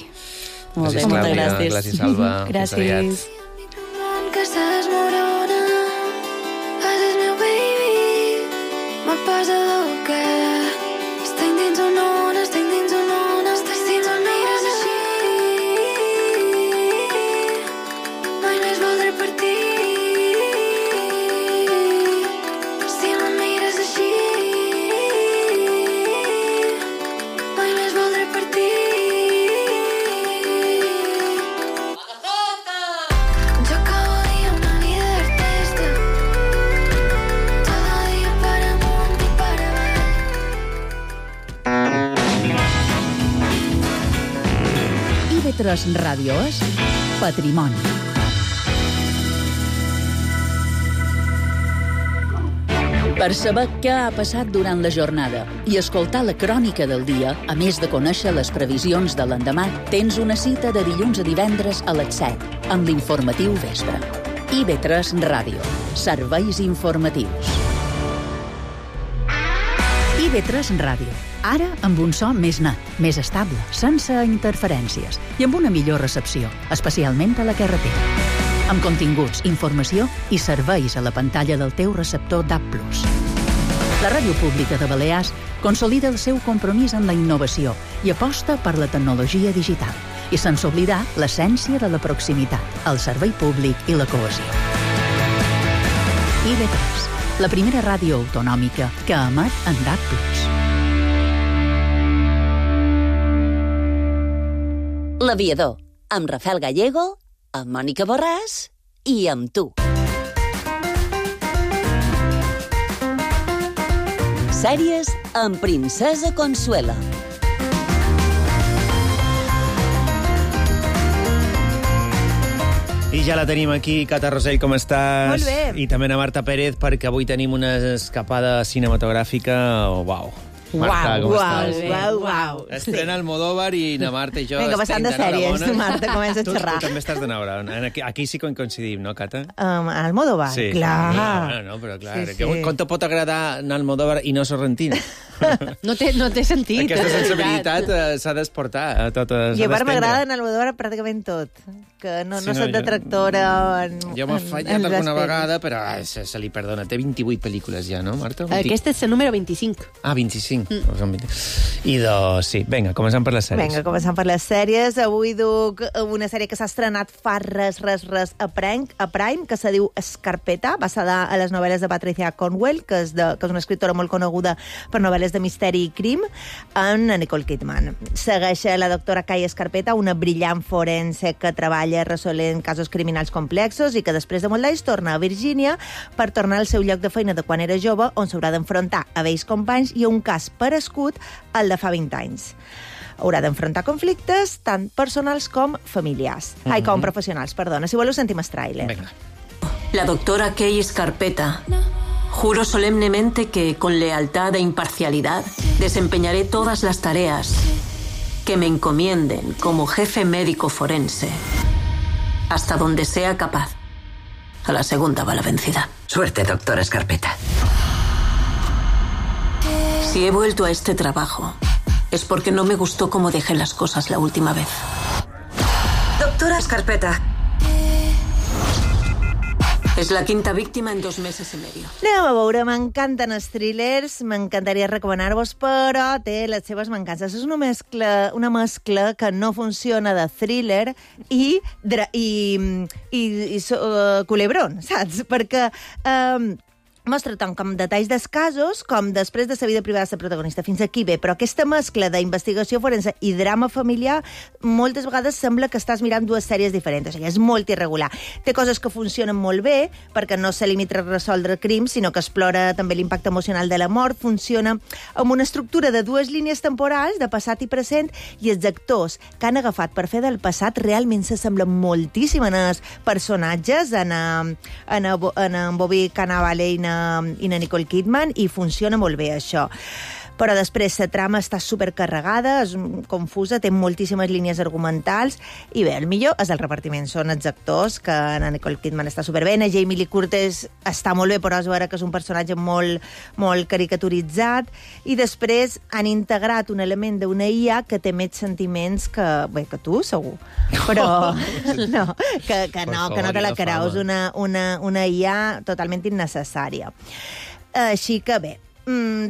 Molt bé, moltes gràcies. Gràcies, Alba. Gràcies. Que s'esmorona, és meu baby, me posa loca. Estic dins una ona, estic dins una ona, estic dins una mires així. Mai més voldré partir. Si me mires així, mai més voldré partir. IB3 Ràdio és Patrimoni. Per saber què ha passat durant la jornada i escoltar la crònica del dia, a més de conèixer les previsions de l'endemà, tens una cita de dilluns a divendres a les 7 amb l'informatiu vespre. IB3 Ràdio. Serveis informatius. IB3 Ràdio. Ara amb un so més net, més estable, sense interferències i amb una millor recepció, especialment a la carretera. Amb continguts, informació i serveis a la pantalla del teu receptor DAB+. La Ràdio Pública de Balears consolida el seu compromís amb la innovació i aposta per la tecnologia digital, i sense oblidar l'essència de la proximitat, el servei públic i la cohesió. IB3, la primera ràdio autonòmica que emet en DAB+. L'Aviador, amb Rafael Gallego, amb Mònica Borràs i amb tu. Sèries amb Princesa Consuela. I ja la tenim aquí, Cata Rosell, com estàs? Molt bé. I també na Marta Pérez, perquè avui tenim una escapada cinematogràfica. Uau. Marta, com estàs? Uau. Estrena Almodóvar i na Marta i jo Vinga, bastant de sèries. Marta, comença a xerrar. Tu també estàs de veure. Aquí sí que coincidim, no, Cata? Almodóvar, sí. clar. No, però clar. Sí. Com te pot agradar Almodóvar i no Sorrentino? No té sentit. Aquesta sensibilitat s'ha d'exportar a totes. I a part m'agrada en Almodóvar pràcticament tot, que no soc detractora jo m'he fallat alguna vegada, però se li perdona. Té 28 pel·lícules ja, no, Marta? Aquesta és el número 25. Ah, 25. I doncs, sí, vinga, comencem per les sèries. Vinga, comencem per les sèries. Avui duc una sèrie que s'ha estrenat fa res a Prime, que se diu Scarpetta, basada a les novel·les de Patricia Cornwell, que és una escriptora molt coneguda per novel·les de misteri i crim, amb Nicole Kidman. Segueix la doctora Kay Scarpetta, una brillant forense que treballa resolent casos criminals complexos i que després de molt d'anys torna a Virgínia per tornar al seu lloc de feina de quan era jove, on s'haurà d'enfrontar a vells companys i a un cas parescut al de fa 20 anys. Haurà d'enfrontar conflictes tant personals com familiars. Com professionals, perdona. Si voleu, sentim el tràiler. Venga. La doctora Kay Scarpetta. Juro solemnemente que, con lealtad e imparcialidad, desempeñaré todas las tareas que me encomienden como jefe médico forense, hasta donde sea capaz. A la segunda va la vencida. Suerte, doctora Scarpetta. Si he vuelto a este trabajo, es porque no me gustó cómo dejé las cosas la última vez. Doctora Scarpetta. És la quinta víctima en 2 mesos i medio. Anem a veure, m'encanten els thrillers, m'encantaria recomanar-vos, però té les seves mancances. És una mescla que no funciona de thriller i culebron, saps? Perquè mostra tant com detalls dels casos com després de la vida privada de la protagonista. Fins aquí bé, però aquesta mescla d'investigació forense i drama familiar moltes vegades sembla que estàs mirant 2 sèries diferents. O sigui, és molt irregular. Té coses que funcionen molt bé, perquè no se limita a resoldre crims, sinó que explora també l'impacte emocional de la mort. Funciona amb una estructura de 2 línies temporals, de passat i present, i els actors que han agafat per fer del passat realment s'assemblen moltíssim en els personatges, en Bobby Cannavale i na Nicole Kidman, i funciona molt bé això. Però després la trama està supercarregada, és confusa, té moltíssimes línies argumentals, i bé, el millor és el repartiment. Són els actors, que na Nicole Kidman està superbé, na Jamie Lee Curtis està molt bé, però és vera que és un personatge molt, molt caricaturitzat, i després han integrat un element d'una IA que té més sentiments que tu, segur. Però que no te la creus, una IA totalment innecessària. Així que bé,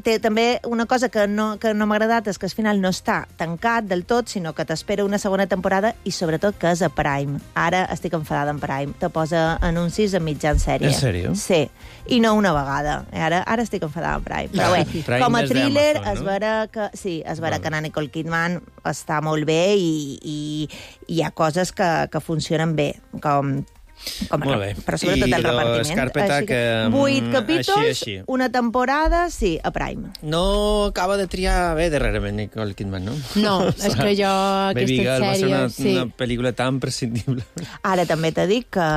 té també una cosa que no m'ha agradat, és que al final no està tancat del tot, sinó que t'espera una segona temporada, i sobretot que és a Prime. Ara estic enfadada amb Prime. Te posa anuncis en mitjan sèrie. En sèrio? Sí, i no una vegada. Ara estic enfadada amb Prime. Però bé, com a thriller es verà que na Nicole Kidman està molt bé, i hi ha coses que funcionen bé, molt bé. Però sobretot el repartiment. Scarpetta, que 8 capítols, així. Una temporada, sí, a Prime. No acaba de triar bé darrerament Nicole Kidman, no? No, és que jo Baby Girl va ser sèrie... una pel·lícula tan prescindible. Ara també t'he dit que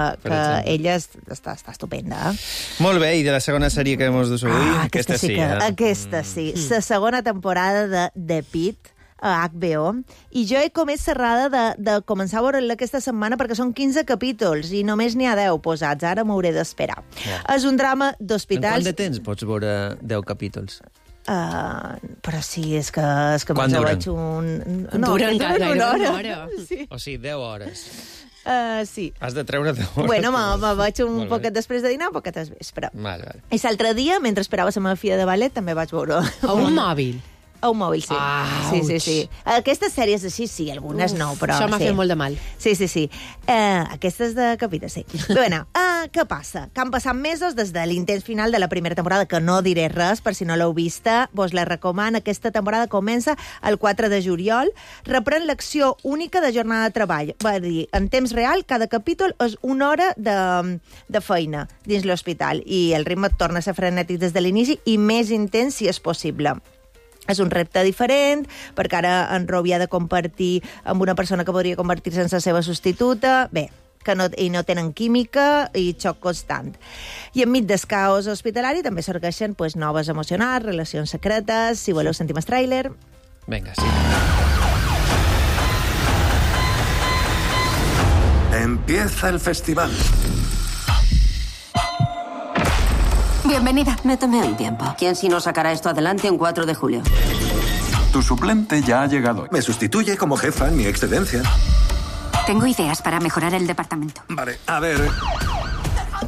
ella està estupenda. Molt bé, i de la segona sèrie que hem dus avui, aquesta sí. Aquesta sí. La segona temporada de The Pitt, a HBO, i jo he comès cerrada de començar a veure-la aquesta setmana, perquè són 15 capítols i només n'hi ha 10 posats. Ara m'hauré d'esperar. És un drama d'hospitals... En quant de temps pots veure 10 capítols? Però sí, és que quan duren? Duren una hora. Sí. O sigui, 10 hores. Sí. Has de treure 10 hores. Bueno, me vaig un poquet després de dinar, un poquet al vespre. Vale. I l'altre dia, mentre esperava la meva filla de ballet, també vaig veure... A un mòbil? A un mòbil, sí. Sí. Aquestes sèries així, sí, algunes no, però... Això m'ha fet molt de mal. Sí. Aquestes de capítol, sí. Però bueno, què passa? Que han passat mesos des de l'intent final de la primera temporada, que no diré res, per si no l'heu vista, vos la recomano. Aquesta temporada comença el 4 de juliol, reprèn l'acció única de jornada de treball. Va dir, en temps real, cada capítol és una hora de feina dins l'hospital, i el ritme torna a ser frenètic des de l'inici i més intens si és possible. És un repte diferent, perquè ara en Robbie ha de compartir amb una persona que podria convertir-se en la seva substituta. Bé, i no tenen química i xoc constant. I enmig del caos hospitalari també sorgeixen noves emocionals, relacions secretes. Si voleu, sentim el tràiler. Vinga, sí. Empieza el festival. Bienvenida. Me tomé un tiempo. ¿Quién si no sacará esto adelante en 4 de julio? Tu suplente ya ha llegado. Me sustituye como jefa en mi excedencia. Tengo ideas para mejorar el departamento. Vale, a ver...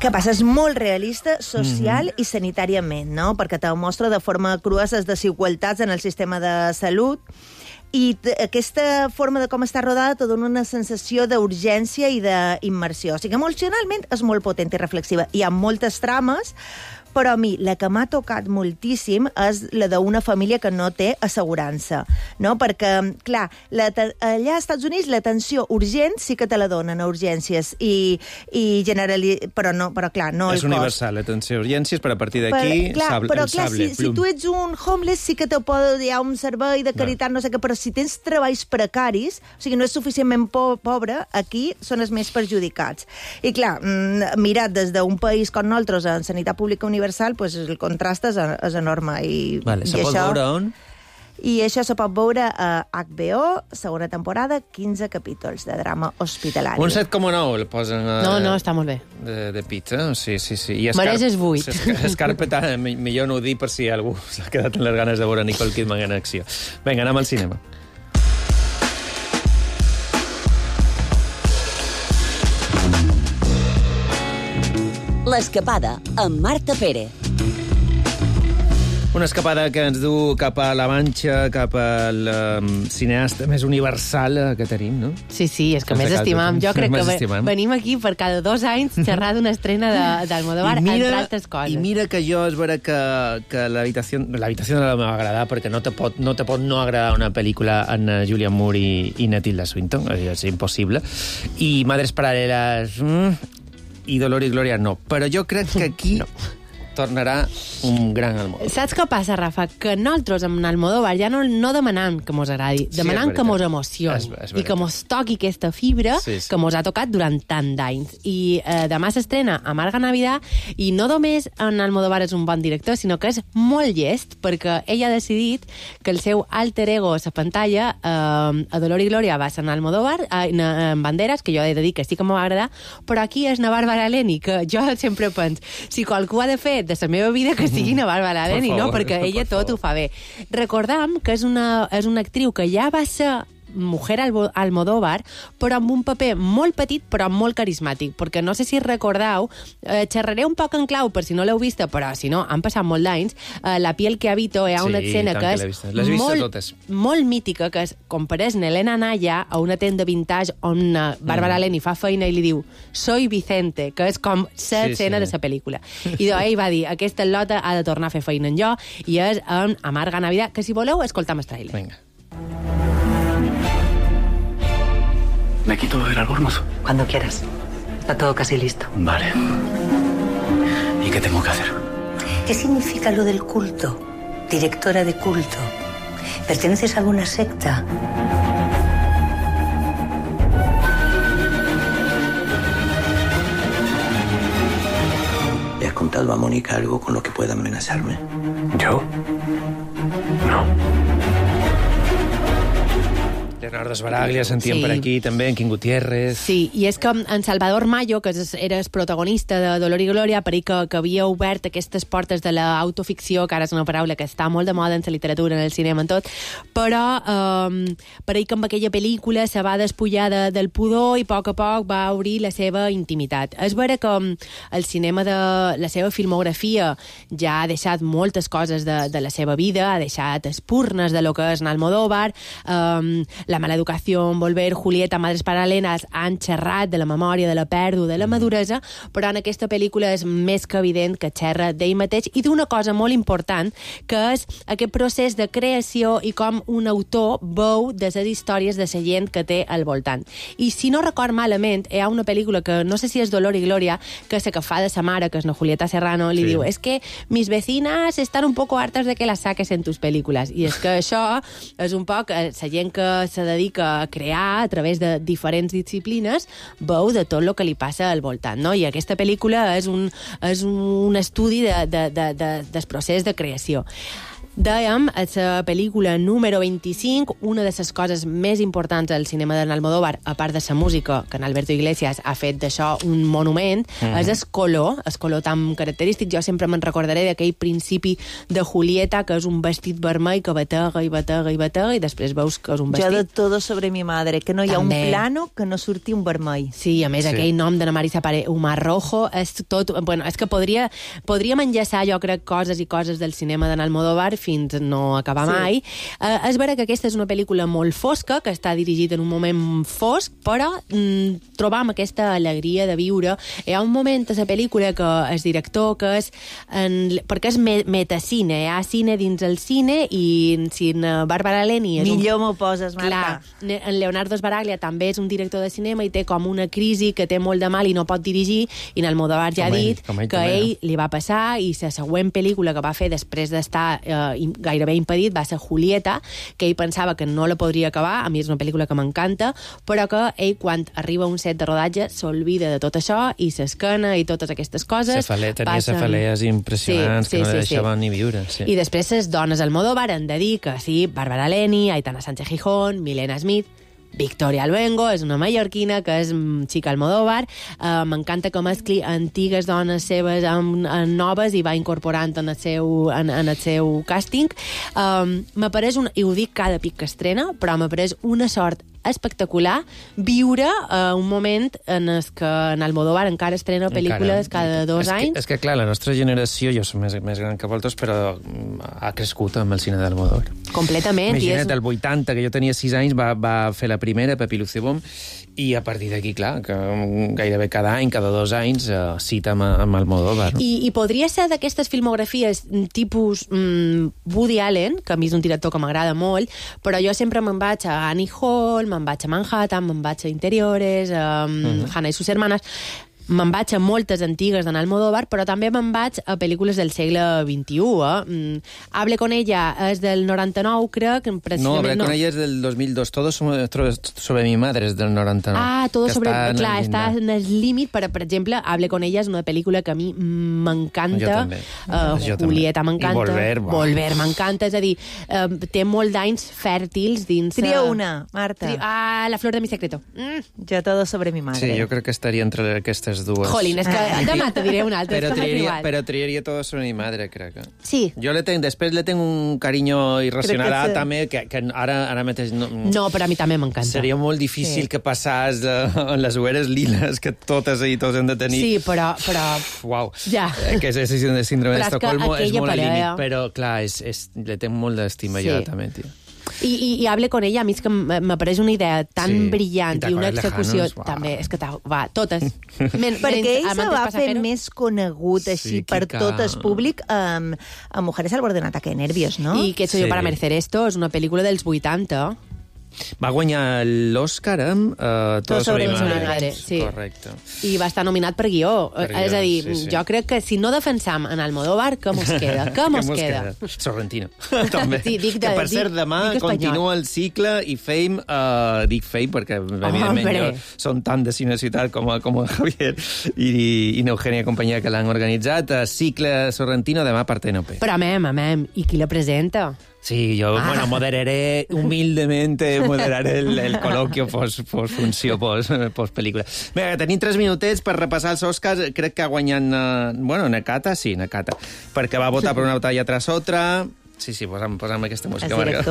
Què passa? És molt realista, social i sanitàriament, no? Perquè te mostra de forma crua les desigualtats en el sistema de salut, i aquesta forma de com està rodada te dona una sensació d'urgència i d'immersió. O sigui, emocionalment és molt potent i reflexiva. Hi ha moltes trames, però a mi la que m'ha tocat moltíssim és la d'una família que no té assegurança, no? Perquè, clar, allà als Estats Units l'atenció urgent sí que te la donen a urgències però clar, no el cost. És universal, l'atenció a urgències, però a partir d'aquí però clar, si tu ets un homeless sí que hi ha un servei de caritat, no sé què, però si tens treballs precaris, o sigui, no és suficientment pobre, aquí són els més perjudicats. I clar, mirat des d'un país com nosaltres en sanitat pública universal, pues el contrast és enorme. Se pot veure on? I això se pot veure a HBO, segona temporada, 15 capítols de drama hospitalari. Un 7,9 el posen No, està molt bé. De pizza, sí. Mereces 8. Escarpeta, millor no ho dir per si algú s'ha quedat amb les ganes de veure Nicole Kidman en acció. Vinga, anem al cinema. L'escapada, amb Marta Pérez. Una escapada que ens du cap a la Manxa, cap al cineasta més universal que tenim, no? Sí, és que més estimam. Jo crec que venim aquí per cada 2 anys xerrar d'una estrena d'Almodóvar, entre altres coses. I mira que jo és vera que l'habitació no la m'ha agradat, perquè no te pot no agradar una pel·lícula en Julianne Moore i Tilda Swinton, és impossible. I Madres Paral·leles i Dolor i Glòria no. Però jo crec que aquí... tornarà un gran Almodóvar. Saps què passa, Rafa? Que nosaltres amb Almodóvar ja no demanam que mos agradi, demanam que mos emocioni i que mos toqui aquesta fibra que mos ha tocat durant tant d'anys. I demà s'estrena Amarga Navidad i no només en Almodóvar és un bon director, sinó que és molt llest, perquè ell ha decidit que el seu alter ego a la pantalla a Dolor i Glòria va ser en Almodóvar, en Banderas, que jo he de dir que sí que m'ho va agradar, però aquí és na Bàrbara Leni, que jo sempre penso, si qualcú ha de fer de la meva vida que sigui na Bàrbara Leni, no? Perquè ella tot ho fa bé. Recordam que és una actriu que ja va ser Mujer Almodóvar, però amb un paper molt petit però molt carismàtic, perquè no sé si recordeu, xerraré un poc en clau per si no l'heu vista, però si no, han passat molt d'anys, La piel que habito, hi ha una escena que és molt mítica, que és com pareix Elena Naya a una tenda vintage on Bàrbara Leni fa feina i li diu soy Vicente, que és com l'escena de la pel·lícula. I ell va dir, aquesta lota ha de tornar a fer feina en jo, i és en Amarga Navidad, que si voleu escoltam el trailer. Vinga. ¿Me quito el albornoz? Cuando quieras. Está todo casi listo. Vale. ¿Y qué tengo que hacer? ¿Qué significa lo del culto? Directora de culto. ¿Perteneces a alguna secta? ¿Le has contado a Mónica algo con lo que pueda amenazarme? ¿Yo? No. Leonardo Sbaraglia, sentíem per aquí, també, en Quim Gutiérrez... Sí, i és que en Salvador Mayo, que era el protagonista de Dolor i Glòria, per ell que havia obert aquestes portes de l'autoficció, que ara és una paraula que està molt de moda en la literatura, en el cinema, en tot, però per ell que amb aquella pel·lícula se va despullar del pudor i a poc va obrir la seva intimitat. És vera que el cinema de la seva filmografia ja ha deixat moltes coses de la seva vida, ha deixat espurnes de lo que és Almodóvar, La mala educació, Volver, Julieta, Madres paral·leles han xerrat de la memòria, de la pèrdua, de la maduresa, però en aquesta pel·lícula és més que evident que xerra d'ell mateix i d'una cosa molt important, que és aquest procés de creació i com un autor veu de les històries de la gent que té al voltant. I si no record malament, hi ha una pel·lícula que no sé si és Dolor i Glòria, que és la que fa de sa mare, que és la Julieta Serrano, li diu, es que mis vecinas están un poco hartas de que las saques en tus películas. I és que això és un poc la gent que se dedica a crear a través de diferents disciplines, veu de tot el que li passa al voltant, no? I aquesta pel·lícula és un estudi del procés de creació. Dèiem, a la pel·lícula número 25, una de les coses més importants del cinema d'en Almodóvar, a part de la música, que en Alberto Iglesias ha fet d'això un monument, és el color tan característic. Jo sempre me'n recordaré d'aquell principi de Julieta, que és un vestit vermell que batega i batega i batega, i després veus que és un vestit... Jo de Todo sobre mi madre, que no hi ha un plano que no surti un vermell. Sí, a més, aquell nom de la Marisa Pare, Humar Rojo, és tot... Bueno, és que podríem enllaçar, jo crec, coses i coses del cinema d'en Almodóvar fins no acabar mai. És vera que aquesta és una pel·lícula molt fosca, que està dirigida en un moment fosc, però trobam aquesta alegria de viure. Hi ha un moment a la pel·lícula que el director, que és... perquè és metacine, hi ha cine dins el cine, i si en Bàrbara Leni... Millor m'ho poses, Marta. Clar, en Leonardo Sbaraglia també és un director de cinema i té com una crisi que té molt de mal i no pot dirigir, i en Almodóvar ja ha dit que ell li va passar, i la següent pel·lícula que va fer després d'estar gairebé impedit va ser Julieta, que ell pensava que no la podria acabar. A mi és una pel·lícula que m'encanta, però que ell, quan arriba a un set de rodatge, s'olvida de tot això i s'escana i totes aquestes coses. Tenia cefalees impressionants que no deixaven ni viure. I després les dones Almodóvar han de dir que sí, Bàrbara Leni, Aitana Sánchez Gijón, Milena Smith, Victoria Luengo, és una mallorquina que és xica Almodóvar. M'encanta que mescli antigues dones seves amb noves i va incorporant en el seu càsting. M'apareix i ho dic cada pic que estrena, però m'apareix una sort espectacular viure un moment en el que en Almodóvar encara estrena pel·lícules cada 2 anys. És que, clar, la nostra generació, jo som més gran que vosaltres, però ha crescut amb el cine d'Almodóvar. Completament. Imagina't, el 80, que jo tenia 6 anys, va fer la primera, Pepi Lucebom, i a partir d'aquí, clar, que gairebé cada any, cada 2 anys, cita amb Almodóvar. No? I podria ser d'aquestes filmografies tipus Woody Allen, que a mi és un director que m'agrada molt, però jo sempre me'n vaig a Annie Hall, me'n vaig a Manhattan, me'n vaig a Interiores, a Hannah i sus hermanas... Me'n vaig a moltes antigues d'en Almodóvar, però també me'n vaig a pel·lícules del segle XXI. Hable con ella és del 99, crec. No, Hable con ella és del 2002. Todo sobre mi madre és del 99. Ah, Todo sobre... Clar, està en el límit, però, per exemple, Hable con ella és una pel·lícula que a mi m'encanta. Julieta m'encanta. I Volver m'encanta. És a dir, té molt d'anys fèrtils dins... Tria una, Marta. La flor de mi secreto. Jo Todo sobre mi madre. Sí, jo crec que estaria entre aquestes dues. Jolín, és que demà te diré una altra. Però triaria Todo sobre mi madre, crec. Sí. Jo després le tengo un cariño irracional també, que ara mateix... No, però a mi també m'encanta. Seria molt difícil que passàs en les ueres liles que totes i tots hem de tenir. Sí, però... Uau. Ja. Que és el síndrome d'Estocolmo, és molt al límit. Però, clar, le tenc molt d'estima jo també, tio. I Hable con ella, a mi és que m'apareix una idea tan brillant i una execució també, és que totes. Perquè ell se va fer més conegut així per tot el públic a Mujeres al borde de un ataque de nervios, no? I Que soy yo para merecer esto és una pel·lícula dels 80. Va guanyar l'Òscar amb Todo sobre mi madre. Sí. Correcte. I va estar nominat per guió. És a dir, jo crec que si no defensam en Almodóvar, què mos queda? Què mos queda? Sorrentino, també. Sí, que per cert, demà continua el cicle i Fame, dic Fame perquè evidentment jo són tant de Cine Ciutat com el Javier i n'Eugènia i companyia que l'han organitzat. Cicle Sorrentino demà per TNP. Però amem. I qui la presenta? Sí, yo, bueno, moderaré humildemente, moderaré el col·loquio post-funció, post-pel·lícula. Bé, tenim 3 minutets per repassar els Oscars. Crec que ha guanyat, Nakata, sí, Nakata, perquè va votar per Una batalla tras otra. Sí, posa'm aquesta música, Marga.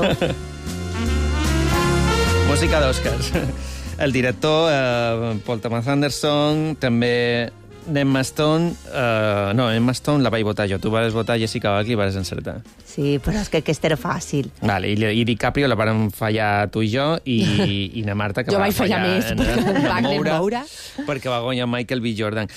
Música d'Oscars. El director, Paul Thomas Anderson, també Emma Stone... Emma Stone la vaig votar jo. Tu vas votar Jessica Biel i vas encertar. Sí, però és que aquesta era fàcil. Vale, i DiCaprio la vàrem fallar tu i jo, i na Marta, que jo va vaig fallar més, perquè va guanyar Michael B. Jordan.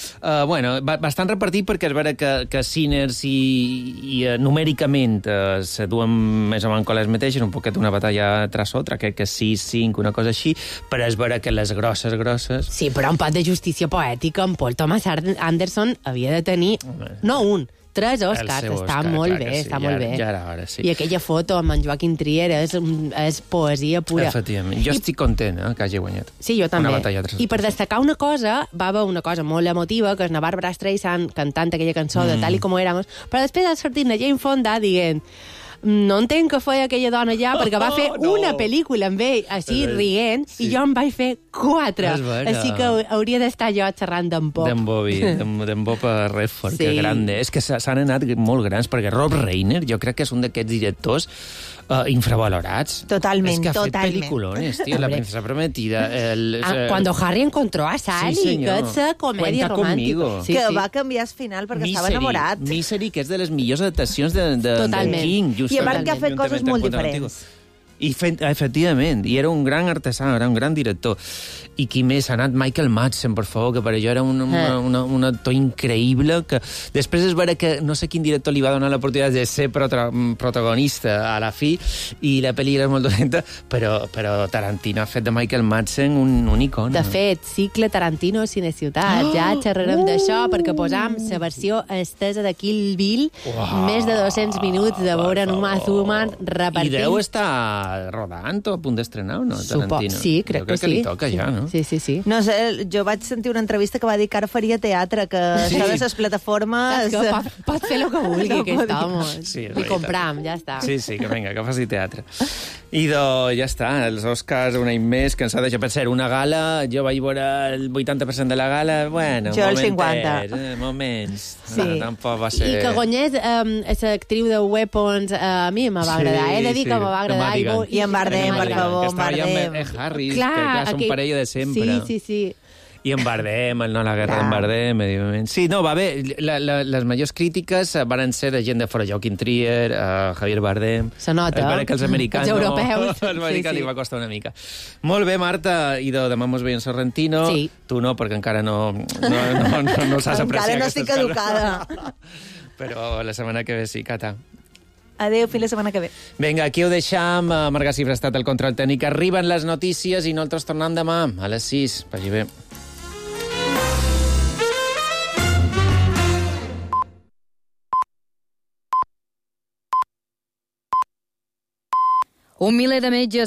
Bastant repartit, perquè és vera que Sinners i numèricament se duen més o menys les mateixes, un poquet Una batalla tras otra, crec que 6-5, una cosa així, però és vera que les grosses... Sí, però un pot de justícia poètica, en Paul Thomas Anderson havia de tenir, no un, 3 Oscars, està molt bé, està molt bé. Ja era hora, sí. I aquella foto amb en Joaquim Trier és poesia pura. Efectivament. Jo estic content que hagi guanyat. Sí, jo també. Una batalla tras otra. I per destacar una cosa, va haver una cosa molt emotiva, que és la Barbara Streisand cantant aquella cançó de Tal y como éramos, però després ha sortit la Jane Fonda dient no entenc que feia aquella dona ja, perquè va fer una pel·lícula amb ell, així, rient, i jo en vaig fer 4. Així que hauria d'estar jo xerrant d'en Bob. D'en Bob Redford, que grande. És que s'han anat molt grans, perquè Rob Reiner jo crec que és un d'aquests directors infravalorats. Totalment, és que ha fet pel·lículones, tio, La princesa prometida. Cuando Harry encontró a Sally, que és comèdia romàntica. Que va canviar el final perquè estava enamorat. Misery, que és de les millors adaptacions de King. I a part que ha fet coses molt diferents. Efectivament, i era un gran artesà, era un gran director. I qui més? Ha anat Michael Madsen, per favor, que per allò era un actor increïble, que després és vera que no sé quin director li va donar l'oportunitat de ser protagonista a la fi, i la pel·li era molt dolenta, però Tarantino ha fet de Michael Madsen un icona. De fet, cicle Tarantino Cine Ciutat, ja xerrarem d'això, perquè posam la versió estesa de Kill Bill, més de 200 minuts de veure Uma Thurman repartint. I deu estar rodant o a punt d'estrenar, o no, Tarantino? Sí, crec que sí. Li toca ja, no? Sí. No sé, jo vaig sentir una entrevista que va dir que ara faria teatre, que això de les plataformes... Pot fer el que vulgui, aquest home. Sí, li compram, ja està. Sí, que vinga, que faci teatre. I ja està, els Oscars un any més, que ens ha deixat per ser una gala. Jo vaig veure el 80% de la gala, bueno, jo el 50. Moments. Sí. No, tampoc va ser... I que guanyés l'actriu de Weapons, a mi me va agradar. He de dir que me va agradar. I en Bardem, per favor, en Bardem. Harris, que són parella de sempre. Sí. I en Bardem, el No a la guerra d'en Bardem, evidentment. Sí, no, va bé. Les majors crítiques van ser de gent de fora, Joaquim Trier, Javier Bardem... Se nota. És que els americans... Els europeus. Els americans li va costar una mica. Molt bé, Marta. I demà mos veiem Sorrentino. Sí. Tu no, perquè encara no saps apreciar encara no estic educada. Però la setmana que ve sí, Cata. Adéu, fins la setmana que ve. Vinga, aquí ho deixam. Marga Cifra ha estat el control tècnic. Arriben les notícies i nosaltres tornem demà a les 6. Vagi bé. Un miler de metges